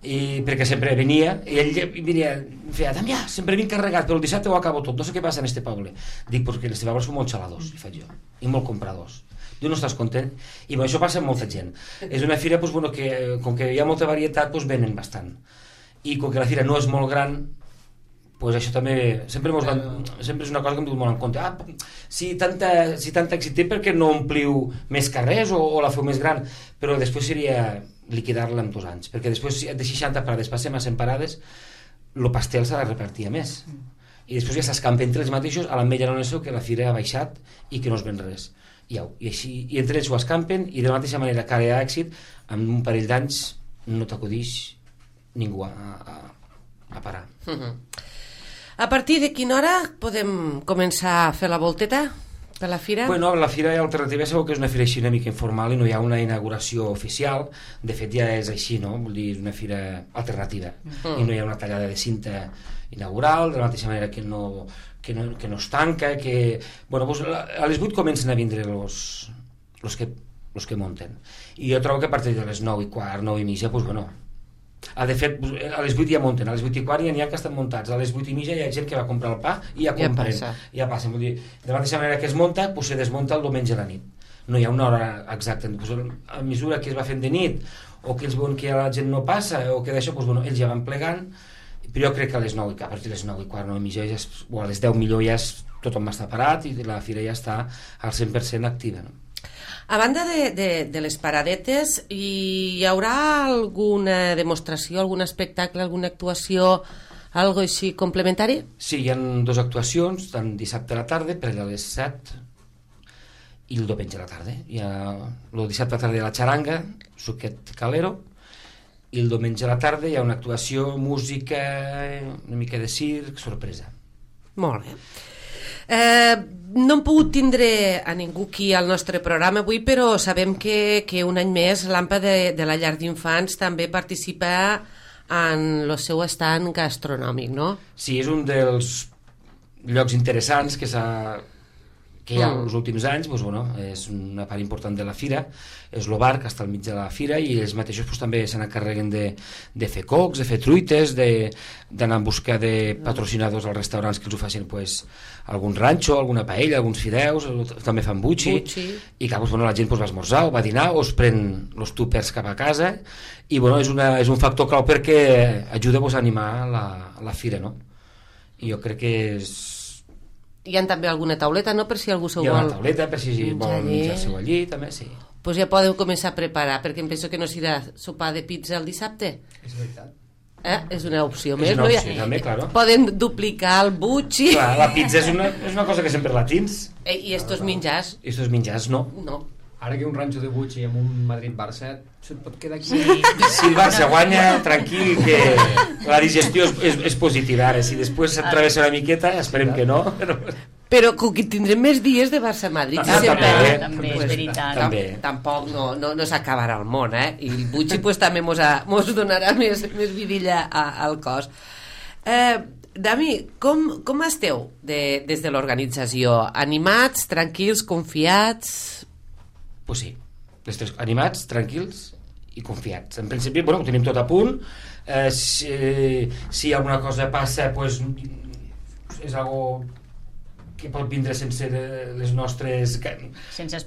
i perquè sempre venia i ell venia, feia, Damià, sempre vinc carregat, però el dissabte ho acabo tot, no sé què passa en este poble. Dic, perquè els pobles són molt xaladors, i faig jo, i molt compradors. Tu no estàs content? I bueno, això passa amb molta gent. És una fira, doncs, bueno, que com que hi ha molta varietat, doncs venen bastant. I com que la fira no és molt gran, pues això també sempre és una cosa que em diu molt en compte. Si tant èxit té, perquè no ompliu més carrers o la feu més gran? Però després seria liquidar-la en 2 anys, perquè després de 60 parades passem a 100 parades, el pastel s'ha de repartir més i després ja s'escampa entre els mateixos a l'ametlla no és que la fira ha baixat i que no es ven res i entre ells ho escampen i de la mateixa manera que ara hi ha èxit, en un parell d'anys no t'acudix ningú a parar. A partir de quina hora podem començar a fer la volteta per la fira? Bueno, la fira alternativa segur que és una fira així una mica informal i no hi ha una inauguració oficial. De fet ja és així, no? Vull dir, és una fira alternativa i no hi ha una tallada de cinta inaugural, de la mateixa manera que no es tanca, que... Bueno, doncs a les 8 comencen a vindre els que munten. I jo trobo que a partir de les 9:15, 9:30, doncs bueno... De fet, a les 8 ja munten, a les 8:15 ja n'hi ha que estan muntats, a les 8:30 hi ha gent que va comprar el pa i ja compren, ja passen. Vull dir, de la mateixa manera que es munta, doncs se desmunta el diumenge a la nit. No hi ha una hora exacta. A mesura que es va fent de nit, o que ells veuen que la gent no passa, o que d'això, doncs, bueno, ells ja van plegant, però jo crec que a les 9, a partir de les 9:15, 9:30, o a les 10 millor ja tothom està parat i la fira ja està al 100% activa, no? A banda de les paradetes, hi haurà alguna demostració, algun espectacle, alguna actuació, algo així complementari? Sí, hi ha 2 actuacions, tant dissabte a la tarda, per allà a les 7, i el diumenge a la tarda. Hi ha el dissabte a la tarda hi ha la xaranga, suquet calero, i el diumenge a la tarda hi ha una actuació, música, una mica de circ, sorpresa. Molt bé. No hem pogut tindre a ningú aquí al nostre programa avui, però sabem que un any més l'AMPA de la llar d'infants també participa en el seu estand gastronòmic, no? Sí, és un dels llocs interessants que hi ha els últims anys. Doncs, bueno, és una part important de la fira, és el bar que està al mig de la fira, i ells mateixos doncs, també se n'encarreguen de fer cocs, de fer truites, d'anar en busca de patrocinadors als restaurants que els ho facin pues, algun ranxo, alguna paella, alguns fideus, també fan butxi. I clar, doncs, bueno, la gent pues, va esmorzar o va dinar o es pren els túpers cap a casa, i bueno, és un factor clau perquè ajuda pues, a animar la fira, no? I jo crec que és... Hi ha també alguna tauleta, no?, per si algú s'ho vol... Hi ha una tauleta, per si vol menjar-se-ho allí, també, sí. Doncs ja podeu començar a preparar, perquè em penso que no serà sopar de pizza el dissabte. És veritat. És una opció més, és una opció, també, claro. Poden duplicar el butxi. Clar, la pizza és una cosa que sempre la tens. I estos menjars? I estos menjars, no. No. Ara que un ranxo de butxi amb un Madrid-Barça se't pot quedar aquí... Si el Barça guanya, tranquil, que la digestió és positiva. Ara, si després se't travessa una miqueta, esperem que no. Però que tindrem més dies de Barça-Madrid. També, és veritat. Tampoc no s'acabarà el món, eh? I el butxi pues, també mos donarà més vidilla al cos. Dami, com esteu des de l'organització? Animats, tranquils, confiats? Pues sí, animats, tranquils i confiats. En principi, bueno, ho tenim tot a punt. Si alguna cosa passa, pues, és algo que pot vindre sense les nostres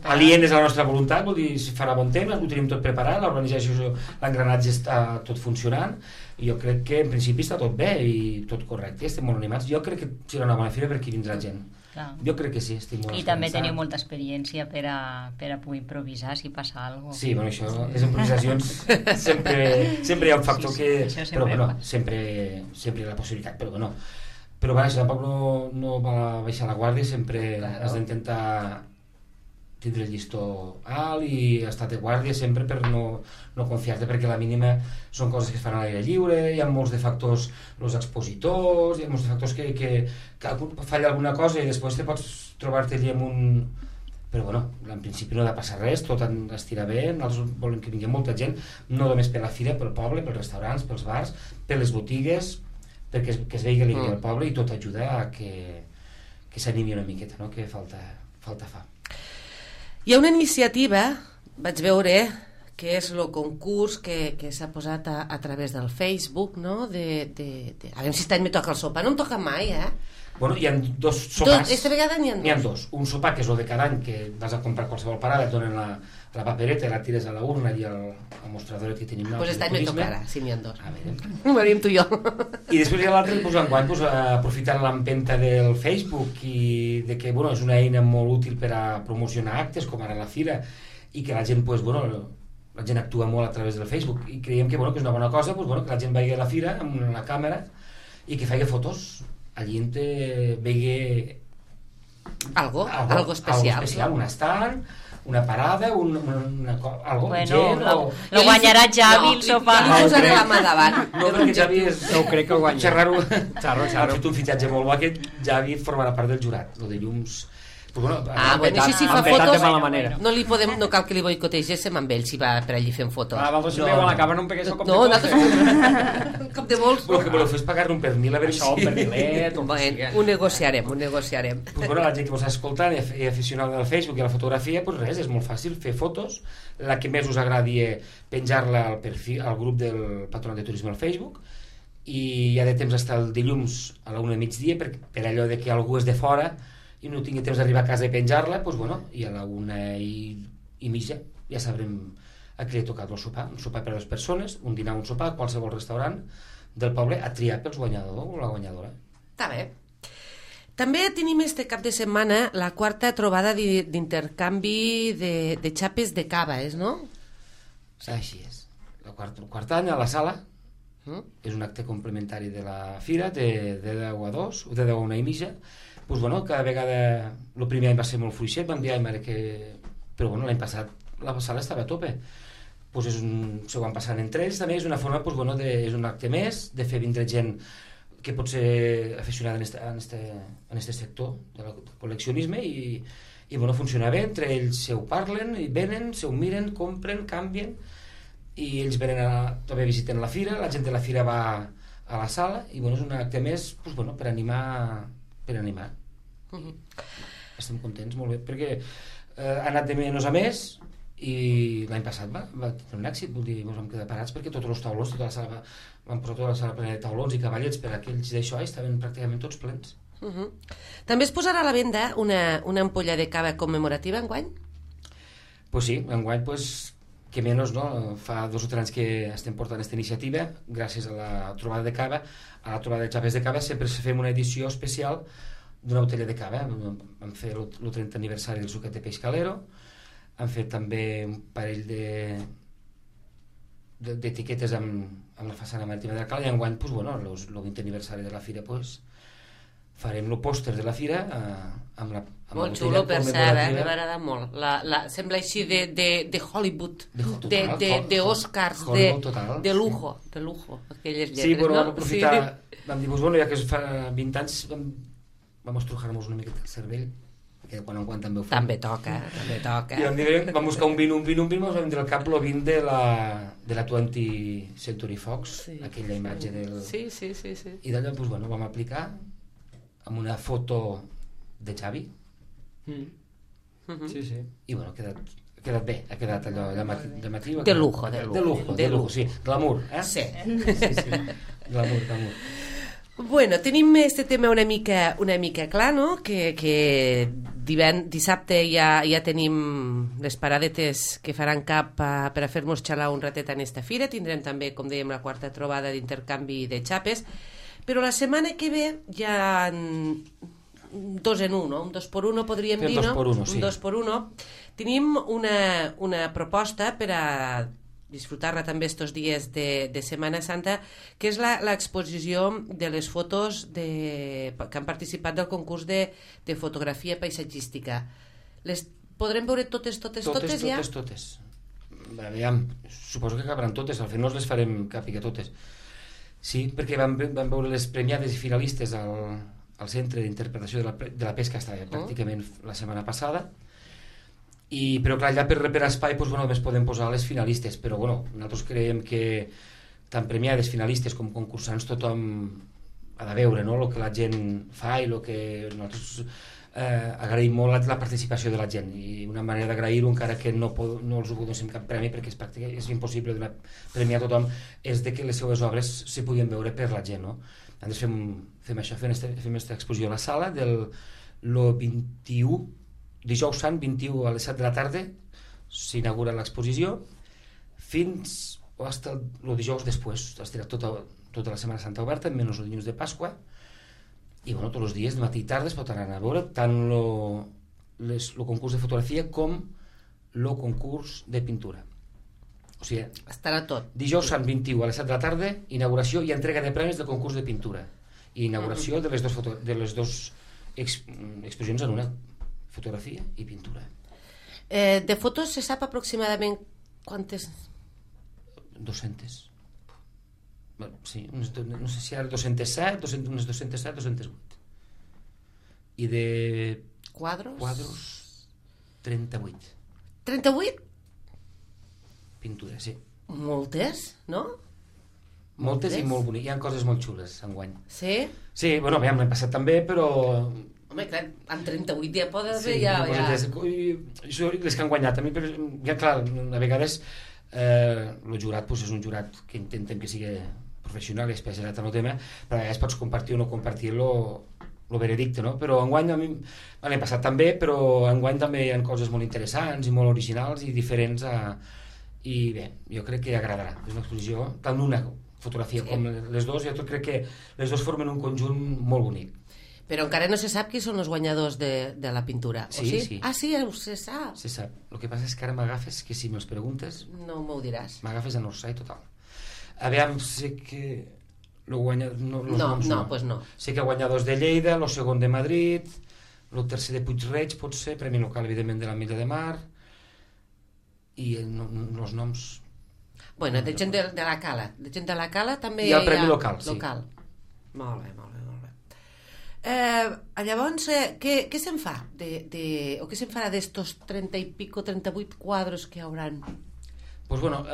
alienes a la nostra voluntat, vol dir, si farà bon temps, ho tenim tot preparat, l'organització, l'engranatge està tot funcionant, i jo crec que en principi està tot bé i tot correcte, estem molt animats. Jo crec que serà una bona fira perquè vindrà gent. Clar. Jo crec que sí, estic molt esperançat. I també teniu molta experiència per a poder improvisar si passa alguna cosa. Sí, bueno, això, les improvisacions sempre hi ha un factor que... Però bueno, sempre hi ha la possibilitat, però bueno. Però vaja, tampoc no va baixar la guàrdia, sempre has d'intentar tindre el llistó alt i estar de guàrdia sempre per no confiar-te, perquè la mínima són coses que es fan a l'aire lliure, hi ha molts de factors, els expositors, hi ha molts de factors que falla alguna cosa i després te pots trobar-te allà amb un... Però bueno, en principi no ha de passar res, tot estirà bé, nosaltres volem que vingui molta gent, no només per la fira, pel poble, pels restaurants, pels bars, per les botigues, perquè es vegi alegria al poble, i tot ajuda a que s'animi una miqueta, no? Que falta fa. Hi ha una iniciativa, vaig veure, que és el concurs que s'ha posat a través del Facebook, no? A veure si aquest any me toca el sopar. No em toca mai, eh? Bueno, hi ha dos sopars. Aquesta vegada n'hi ha dos. Un sopar, que és el de cada any, que vas a comprar qualsevol parada, et donen la papereta i la tires a la urna i al mostrador que tenim. Doncs aquest any me tocarà, si n'hi ha dos. A veure. Ho venim tu i jo. I després hi ha l'altre, enguany, aprofitant l'empenta del Facebook i de que és una eina molt útil per a promocionar actes, com ara la fira, i que la gent, la gent actua molt a través del Facebook, i creiem que és una bona cosa que la gent vagi a la fira amb la càmera i que faci fotos. Allí on vegi algo especial, un estant, una parada, algo, bueno, gent, lo guanyarà Javi el sopar. No, posaré la mà davant. No, perquè Javi és... No crec que el guanyi. Xarrar-ho. Ha fet un fitxatge molt bo, que Javi formarà part del jurat, el de llums... Si fa fotos no cal que li boicotégéssim amb ell si va per allí fent fotos. Vosaltres també a la càmera no em pegués el cop de bols. Cop de bols. Però que voleu fer és pagar-ne un pernil a veure això, un pernilet. Ho negociarem. La gent que vos està escoltant i aficionada al Facebook i a la fotografia, res, és molt fàcil fer fotos. La que més us agradi penjar-la al perfil, al grup del Patronat de Turisme al Facebook, i ja de temps està el dilluns a la 1 del migdia, per allò de que algú és de fora i no tingui temps d'arribar a casa i penjar-la, i a la 1:30 ja sabrem a qui li ha tocat el sopar. Un sopar per a 2 persones, un dinar, un sopar, a qualsevol restaurant del poble, a triar pels guanyador o la guanyadora. Està bé. També tenim este cap de setmana la 4ª trobada d'intercanvi de xapes de cava, no? Així és. El quart any a la sala és un acte complementari de la fira, de 10 a 2, o de 10 a 1:30. Cada vegada, el primer any va ser molt fluixet, vam dir, però l'any passat la sala estava a tope. Se ho van passant entre ells, també és una forma, és un acte més, de fer vindre gent que pot ser aficionada en este sector del col·leccionisme i bueno, funciona bé, entre ells se ho parlen i venen, se ho miren, compren, canvien i ells venen també visiten la fira, la gent de la fira va a la sala i bueno, és un acte més pues, bueno, per animar. Estem contents, molt bé, perquè ha anat de menys a més i l'any passat va tenir un èxit, vol dir, ens vam quedar parats perquè tots els taulons, tota la sala vam posar tota la sala plena de taulons i cavallets per aquells d'això i estaven pràcticament tots plens. També es posarà a la venda una ampolla de cava commemorativa enguany? Pues sí, enguany que menys, no? Fa 2 o 3 anys que estem portant aquesta iniciativa gràcies a la trobada de cava, a la trobada de xapes de cava sempre fem una edició especial d'una botella de cava. Vam fer el 30 aniversari del suquet de peix calero, han fet també un parell d'etiquetes amb la façana marítima de la cala i enguany, el 20 aniversari de la fira, farem el pòster de la fira amb la molt xulo, per cert, m'ha agradat molt. Sembla així de Hollywood, de Oscars, de lujo, aquelles lletres. Sí, però vam aprofitar, vam dir, ja que fa 20 anys vam estrujar-nos una miqueta el cervell, que quan en quant també ho fem. També toca. I vam buscar un vin, ens vam dir al cap el vin de la 20th Century Fox, aquella imatge del... Sí. I d'allò vam aplicar amb una foto de Xavi. Sí. I bueno, ha quedat bé, ha quedat allò llamatiu. De lujo, sí, glamour, Sí. Glamour. Bueno, tenim este tema una mica clar, no? Que dissabte ja tenim les paradetes que faran cap per a fer-nos xalar un ratet en esta fira. Tindrem també, com dèiem, la 4ª trobada d'intercanvi de xapes, però la setmana que ve ja 2 en 1, no? Un 2 por 1 podríem dir, no? Sí. Un 2 por 1. Tenim una proposta per a disfrutar-la també estos dies de Setmana Santa, que és l'exposició de les fotos que han participat del concurs de fotografia paisatgística. Les podrem veure totes ja? Totes. Aviam, suposo que acabaran totes, al final no les farem càpiga totes. Sí, perquè vam veure les premiades i finalistes al Centre d'Interpretació de la Pesca, estava pràcticament la setmana passada, però clar, allà per espai només podem posar les finalistes, però nosaltres creiem que tant premiades, finalistes com concursants tothom ha de veure el que la gent fa i el que nosaltres agraïm molt la participació de la gent i una manera d'agrair-ho, encara que no els donem cap premi perquè és impossible donar premi a tothom, és que les seues obres se podien veure per la gent, no? Nosaltres fem això, fem aquesta exposició a la sala del 21, dijous sant 21 a les 7 de la tarda s'inaugura l'exposició fins el dijous després, estarà tota la Setmana Santa oberta, menys els dilluns de Pasqua. I tots els dies, de matí i tarda, es pot anar a veure tant el concurs de fotografia com el concurs de pintura. O sigui, estarà tot. Dijous sant 21 a les 7 de la tarda, inauguració i entrega de premis del concurs de pintura. I inauguració de les dues exposicions en una, fotografia i pintura. De fotos se sap aproximadament quantes? 200. Sí, no sé si ara 207, unes 207, 208. I de quadros 38. 38? Pintura, sí. Moltes, no? Moltes i molt boniques. Hi ha coses molt xules enguany. Sí? Sí, l'any passat també, però... Home, clar, amb 38 ja poden haver les que han guanyat també, ja clar, a vegades el jurat és un jurat que intentem que sigui professional i especialitzat en el tema, però a vegades pots compartir o no compartir el veredicte, no? Però enguany l'any passat també, però enguany també hi ha coses molt interessants i molt originals i diferents i bé, jo crec que agradarà. És una exposició, tant una fotografia com les dues, jo crec que les dues formen un conjunt molt bonic. Però encara no se sap qui són els guanyadors de la pintura, o sí? Sí. Ah, sí, se sap. Se sap. El que passa és que ara m'agafes, que si me'ls preguntes... No m'ho diràs. M'agafes en orsai total. Aviam, sé que... No, pues no. Sé que guanyadors de Lleida, el segon de Madrid, el tercer de Puig-reig, pot ser, premi local, evidentment, de la Milla de Mar, i els noms... Bueno, de gent de la Cala. De gent de la Cala també hi ha el premi local, sí. Molt bé. Llavors, què se'n fa? O què se'n farà d'estos 30 i pico, 38 quadros que hi hauran? Pues bueno,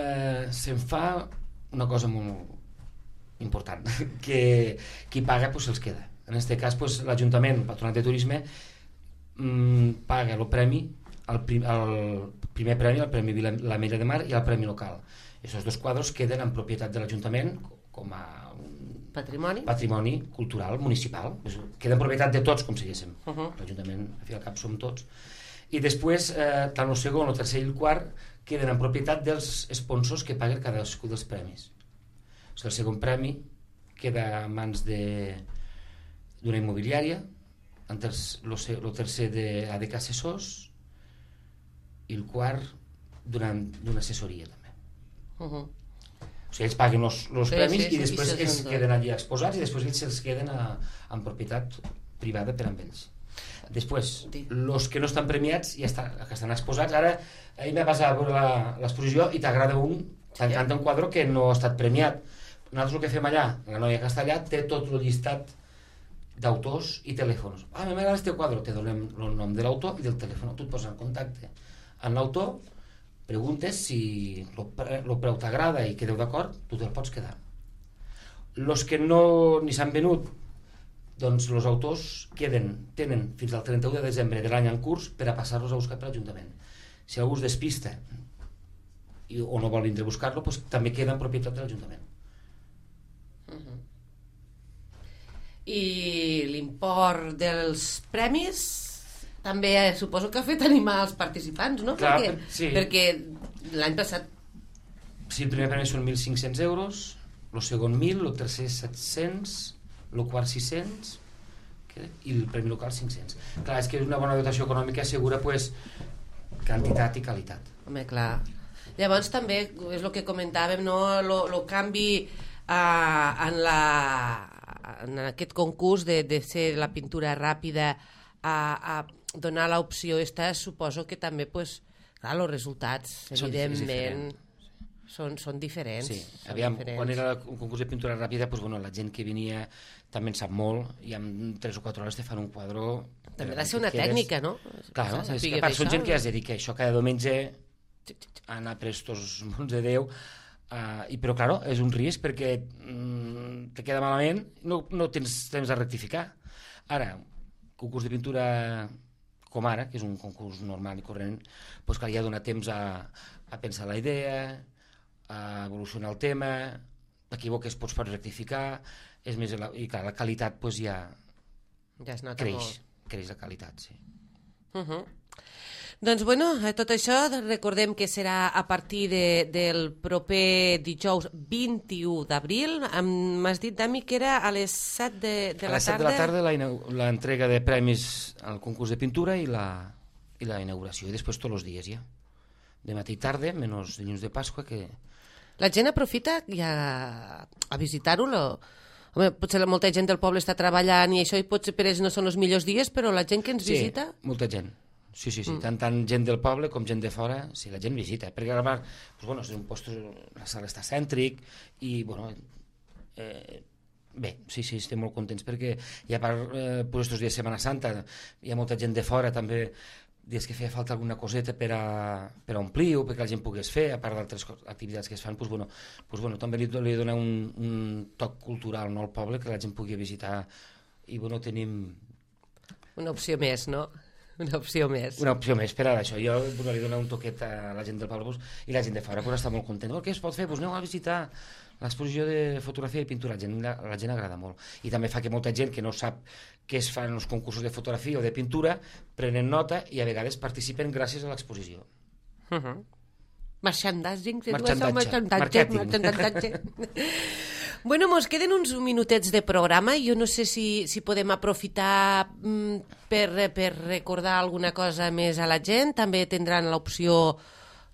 se'n fa una cosa molt important, que qui paga pues se'ls queda. En aquest cas, pues, l'Ajuntament, el Patronat de Turisme, paga el premi, el primer premi, el Premi l'Ametlla de Mar i el Premi Local. Aquests dos quadros queden en propietat de l'Ajuntament com a patrimoni cultural municipal. Queda en propietat de tots, com si diguéssim. L'Ajuntament, al fi al cap, som tots. I després, tant el segon, el tercer i el quart queden en propietat dels sponsors que paguen cadascun dels premis. O sigui, el segon premi queda en mans d'una immobiliària, el tercer d'ADK Assessors i el quart d'una assessoria també. O sigui, ells paguen els premis i després ells queden allà exposats i després ells se'ls queden en propietat privada per amb ells. Després, els que no estan premiats que estan exposats, ara ahir m'ha passat a veure l'exposició i t'agrada t'encanta un quadre que no ha estat premiat. Nosaltres el que fem allà, la noia que està allà té tot el llistat d'autors i telèfons. M'agrada este quadre, te donem el nom de l'autor i del telèfon, tu et poses en contacte amb l'autor, preguntes si el preu t'agrada i quedeu d'acord, tu te'l pots quedar. Els que no ni s'han venut, doncs els autors tenen fins al 31 de desembre de l'any en curs per a passar-los a buscar per l'Ajuntament. Si algú es despista o no vol vindre a buscar-lo, doncs també queda en propietat de l'Ajuntament. I l'import dels premis també suposo que ha fet animar els participants, no? Clar, perquè l'any passat... Sí, el primer premi són 1.500 euros, el segon 1.000, el tercer 700, el quart 600 i el premi local 500. Clar, és que una bona dotació econòmica assegura pues, quantitat i qualitat. Home, clar. Llavors també és el que comentàvem, no? El canvi en aquest concurs de ser la pintura ràpida a donar l'opció esta, suposo que també pues, clar, els resultats evidentment són diferents. Sí, aviam, quan era un concurs de pintura ràpida, pues, bueno, la gent que venia també en sap molt i en 3 o 4 hores te fan un quadre... També ha de ser una tècnica, no? Clar, no? És que a part són gent que es dedica a això cada diumenge a anar per estos mons de Déu, però clar, és un risc perquè te queda malament, no tens temps de rectificar. Ara, concurs de pintura com ara, que és un concurs normal i corrent, doncs clar, ja dona temps a pensar la idea, a evolucionar el tema, t'equivoques, pots rectificar, i clar, la qualitat doncs ja es nota molt. Creix la qualitat, sí. Doncs bueno, tot això recordem que serà a partir del proper dijous 21 d'abril. M'has dit, Dami, que era a les 7 de la tarda? A les 7 de la tarda l'entrega de premis al concurs de pintura i la inauguració, i després tots els dies ja. De matí i tarda, menys dilluns de Pasqua, que... La gent aprofita ja a visitar-ho? Home, potser molta gent del poble està treballant i això, i potser per ells no són els millors dies, però la gent que ens visita... Sí, molta gent. Sí. Tant gent del poble com gent de fora, sí, la gent visita. Perquè a part, doncs, és un post, la sala està cèntric i, bueno... Bé, sí, estem molt contents perquè i a part, estos dies de Setmana Santa hi ha molta gent de fora també, dies que feia falta alguna coseta per a omplir o perquè la gent pogués fer, a part d'altres activitats que es fan, doncs, també li dona un toc cultural, no, al poble, que la gent pugui visitar i tenim... Una opció més, no? Una opció més per a això. Jo li dono un toquet a la gent del poble i la gent de fora està molt content. Què es pot fer? Aneu a visitar l'exposició de fotografia i pintura. La gent agrada molt. I també fa que molta gent que no sap què es fan els concursos de fotografia o de pintura prenen nota i a vegades participen gràcies a l'exposició. Merchandising. Marketing. Bueno, mos queden uns minutets de programa i jo no sé si podem aprofitar per recordar alguna cosa més a la gent. També tindran l'opció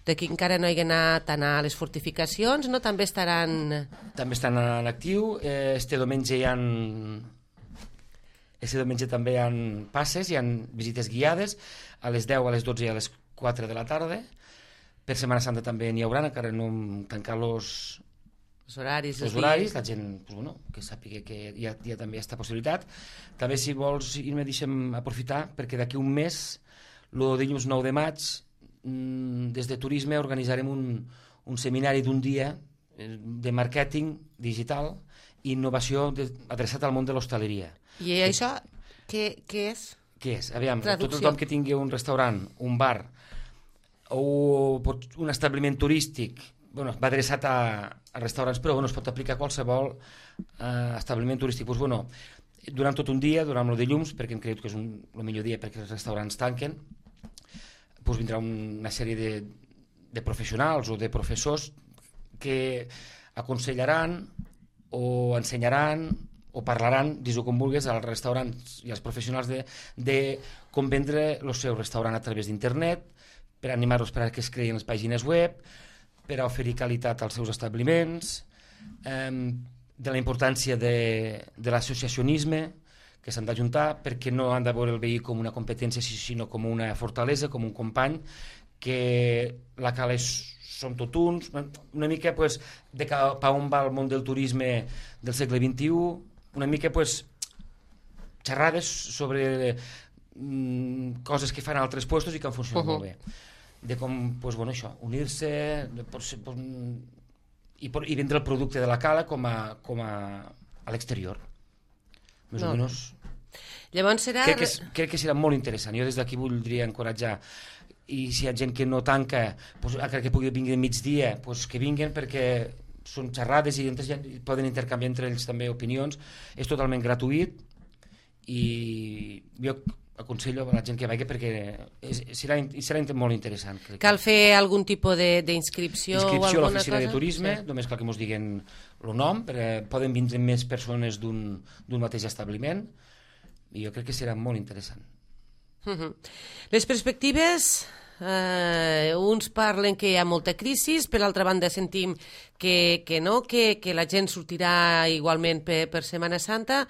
de qui encara no hagi anat a anar a les fortificacions, no? També estan en actiu. Este diumenge també hi ha passes, hi ha visites guiades a les 10, a les 12 i a les 4 de la tarda. Per Setmana Santa també n'hi haurà, encara no hem tancat Els horaris, la gent que sàpiga que hi ha també aquesta possibilitat. També, si vols, me deixem aprofitar, perquè d'aquí un mes, el dilluns 9 de maig, des de Turisme organitzarem un seminari d'un dia de màrqueting digital i innovació adreçat al món de l'hostaleria. I això què és? Què és? Aviam, tothom que tingui un restaurant, un bar o un establiment turístic, va adreçat a restaurants, però es pot aplicar a qualsevol establiment turístic. Durant tot un dia, durant el dilluns, perquè hem cregut que és el millor dia perquè els restaurants tanquen, vindrà una sèrie de professionals o de professors que aconsellaran o ensenyaran o parlaran, dis-ho com vulguis, als restaurants i als professionals de com vendre el seu restaurant a través d'internet, per animar-los perquè es creïn les pàgines web, per a oferir qualitat als seus establiments, de la importància de l'associacionisme, que s'han d'ajuntar, perquè no han de veure el veí com una competència, sinó com una fortalesa, com un company, que la cala som tot uns, una mica de cap a on va el món del turisme del segle XXI, una mica xerrades sobre coses que fan a altres puestos i que han funcionat molt bé. De com, això, unir-se i vendre el producte de la cala com a l'exterior. Més o menys. Llavors serà... Crec que serà molt interessant. Jo des d'aquí voldria encoratjar, i si hi ha gent que no tanca, que pugui venir de migdia, que vinguin, perquè són xerrades i poden intercanviar entre ells també opinions. És totalment gratuït i jo aconsello a la gent que vagi perquè serà molt interessant. Cal fer algun tipus d'inscripció o alguna cosa? Inscripció a l'oficina de turisme, només cal que ens diguin el nom, perquè poden vindre més persones d'un mateix establiment, i jo crec que serà molt interessant. Les perspectives, uns parlen que hi ha molta crisi, per l'altra banda sentim que no, que la gent sortirà igualment per Setmana Santa.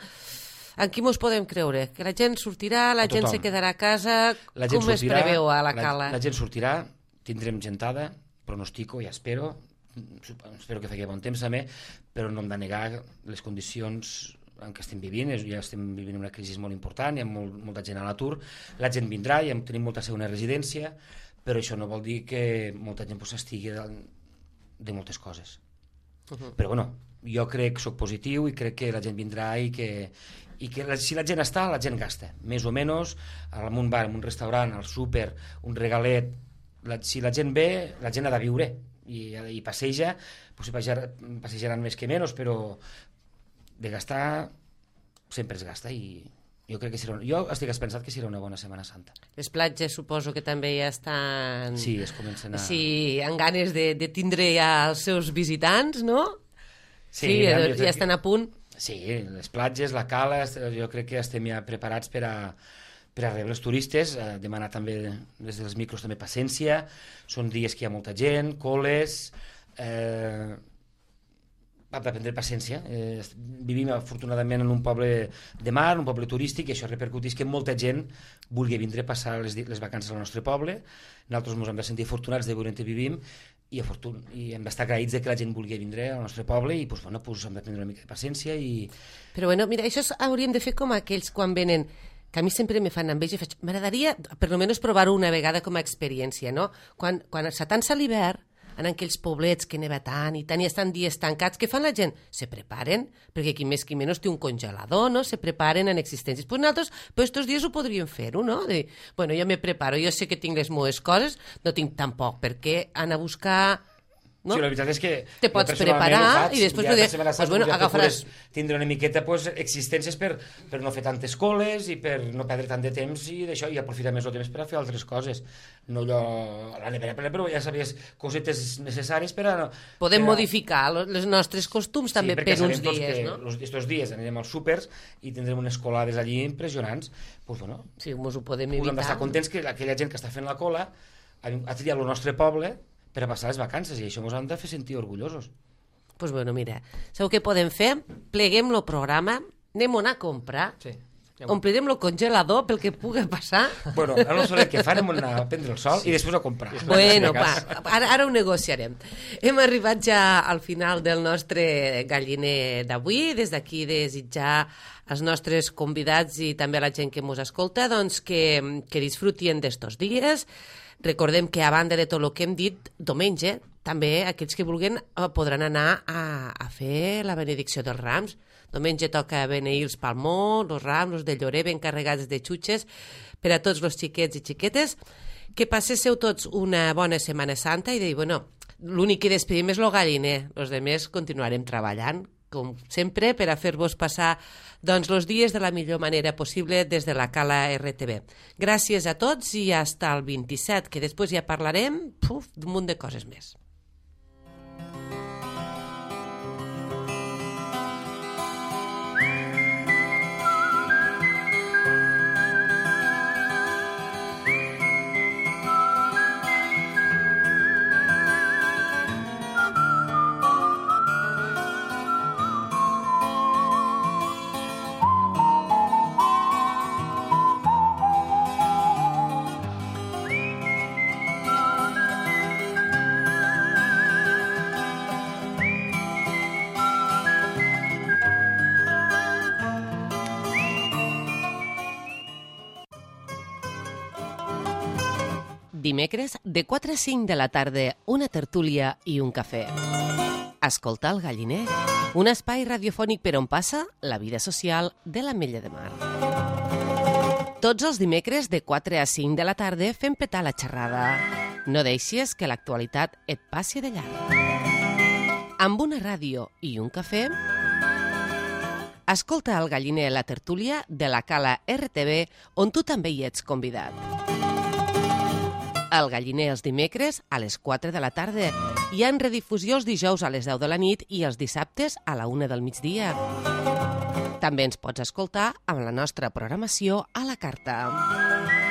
En qui mos podem creure? Que la gent sortirà, la gent se quedarà a casa? Com es preveu a la cala? La gent sortirà, tindrem gentada, pronostico, ja espero que faci bon temps també, però no hem de negar les condicions en què estem vivint. Ja estem vivint una crisi molt important, hi ha molta gent a l'atur, la gent vindrà, ja tenim molta segona residència, però això no vol dir que molta gent s'estigui de moltes coses. Però jo crec, soc positiu i crec que la gent vindrà i que si la gent està, la gent gasta, més o menys, en un bar, en un restaurant, al súper, un regalet. Si la gent ve, la gent ha de viure i passeja, passejaran més que menys, però de gastar sempre es gasta, i jo crec que jo estic pensat que serà una bona Setmana Santa. Les platges suposo que també ja estan... Sí, es comencen a... Sí, amb ganes de tindre ja els seus visitants, no? Sí, ja estan a punt. Sí, les platges, la cala, jo crec que estem ja preparats per a rebre els turistes, demanar també des dels micros també paciència, són dies que hi ha molta gent, coles, ha de prendre paciència. Vivim afortunadament en un poble de mar, un poble turístic, i això repercuteix que molta gent vulgui vindre a passar les vacances al nostre poble. Nosaltres ens hem de sentir afortunats de veure on vivim i hem d'estar agraïts que la gent vulgui vindre al nostre poble, i hem de prendre una mica de paciència. Però mira, això hauríem de fer com aquells quan venen, que a mi sempre me fan enveja, m'agradaria per almenys provar-ho una vegada com a experiència, no? Quan s'atansa l'hivern, en aquells poblets que neva tant i estan dies tancats, què fan la gent? Se preparen, perquè qui més qui menys té un congelador, no? Se preparen en existències. Pues nosaltres, estos dies ho podríem fer-ho, no? Jo me preparo, jo sé que tinc les meves coses, no tinc tampoc per què anar a buscar... No? Sí, la veritat és que te pots preparar i després agafaràs... tindre una miqueta existències per no fer tantes coles i per no perdre tant de temps i d'això, i aprofitar més el temps per a fer altres coses. No allò a la nevera, però ja sabies cosetes necessàries per a... Podem modificar els nostres costums també per uns dies, no? Estos dies anirem als súpers i tindrem unes colades allí impressionants. Sí, ens ho podem evitar. Hem d'estar contents que aquella gent que està fent la cola ha triat el nostre poble per a passar les vacances, i això ens han de fer sentir orgullosos. Doncs mira, sabeu què podem fer? Pleguem el programa, anem a anar a comprar omplirem el congelador pel que pugui passar. Bueno, a no soler que farem anar a prendre el sol i després a comprar. Bueno, ara ho negociarem. Hem arribat ja al final del nostre galliner d'avui. Des d'aquí desitjar als nostres convidats i també a la gent que ens escolta doncs que disfrutien d'estos dies. Recordem que a banda de tot el que hem dit, diumenge també aquells que vulguin podran anar a fer la benedicció dels rams. Diumenge toca beneir els palmons, els rams, els de llorer ben carregats de xutxes per a tots els xiquets i xiquetes. Que passéssiu tots una bona Setmana Santa i dir, bueno, l'únic que despedim és el galliner. Els altres continuarem treballant, com sempre, per a fer-vos passar doncs, els dies de la millor manera possible des de la Cala RTV. Gràcies a tots i fins al 27, que després ja parlarem d'un munt de coses més. Dimecres, de 4 a 5 de la tarda, una tertúlia i un cafè. Escoltar el galliner, un espai radiofònic per on passa la vida social de l'Ametlla de Mar. Tots els dimecres, de 4 a 5 de la tarda, fem petar la xerrada. No deixis que l'actualitat et passi de llarg. Amb una ràdio i un cafè, escolta el galliner la tertúlia de la Cala RTV, on tu també hi ets convidat. El galliner els dimecres a les 4 de la tarda i en redifusió els dijous a les 10 de la nit i els dissabtes a la 1 del migdia. També ens pots escoltar amb la nostra programació a la carta.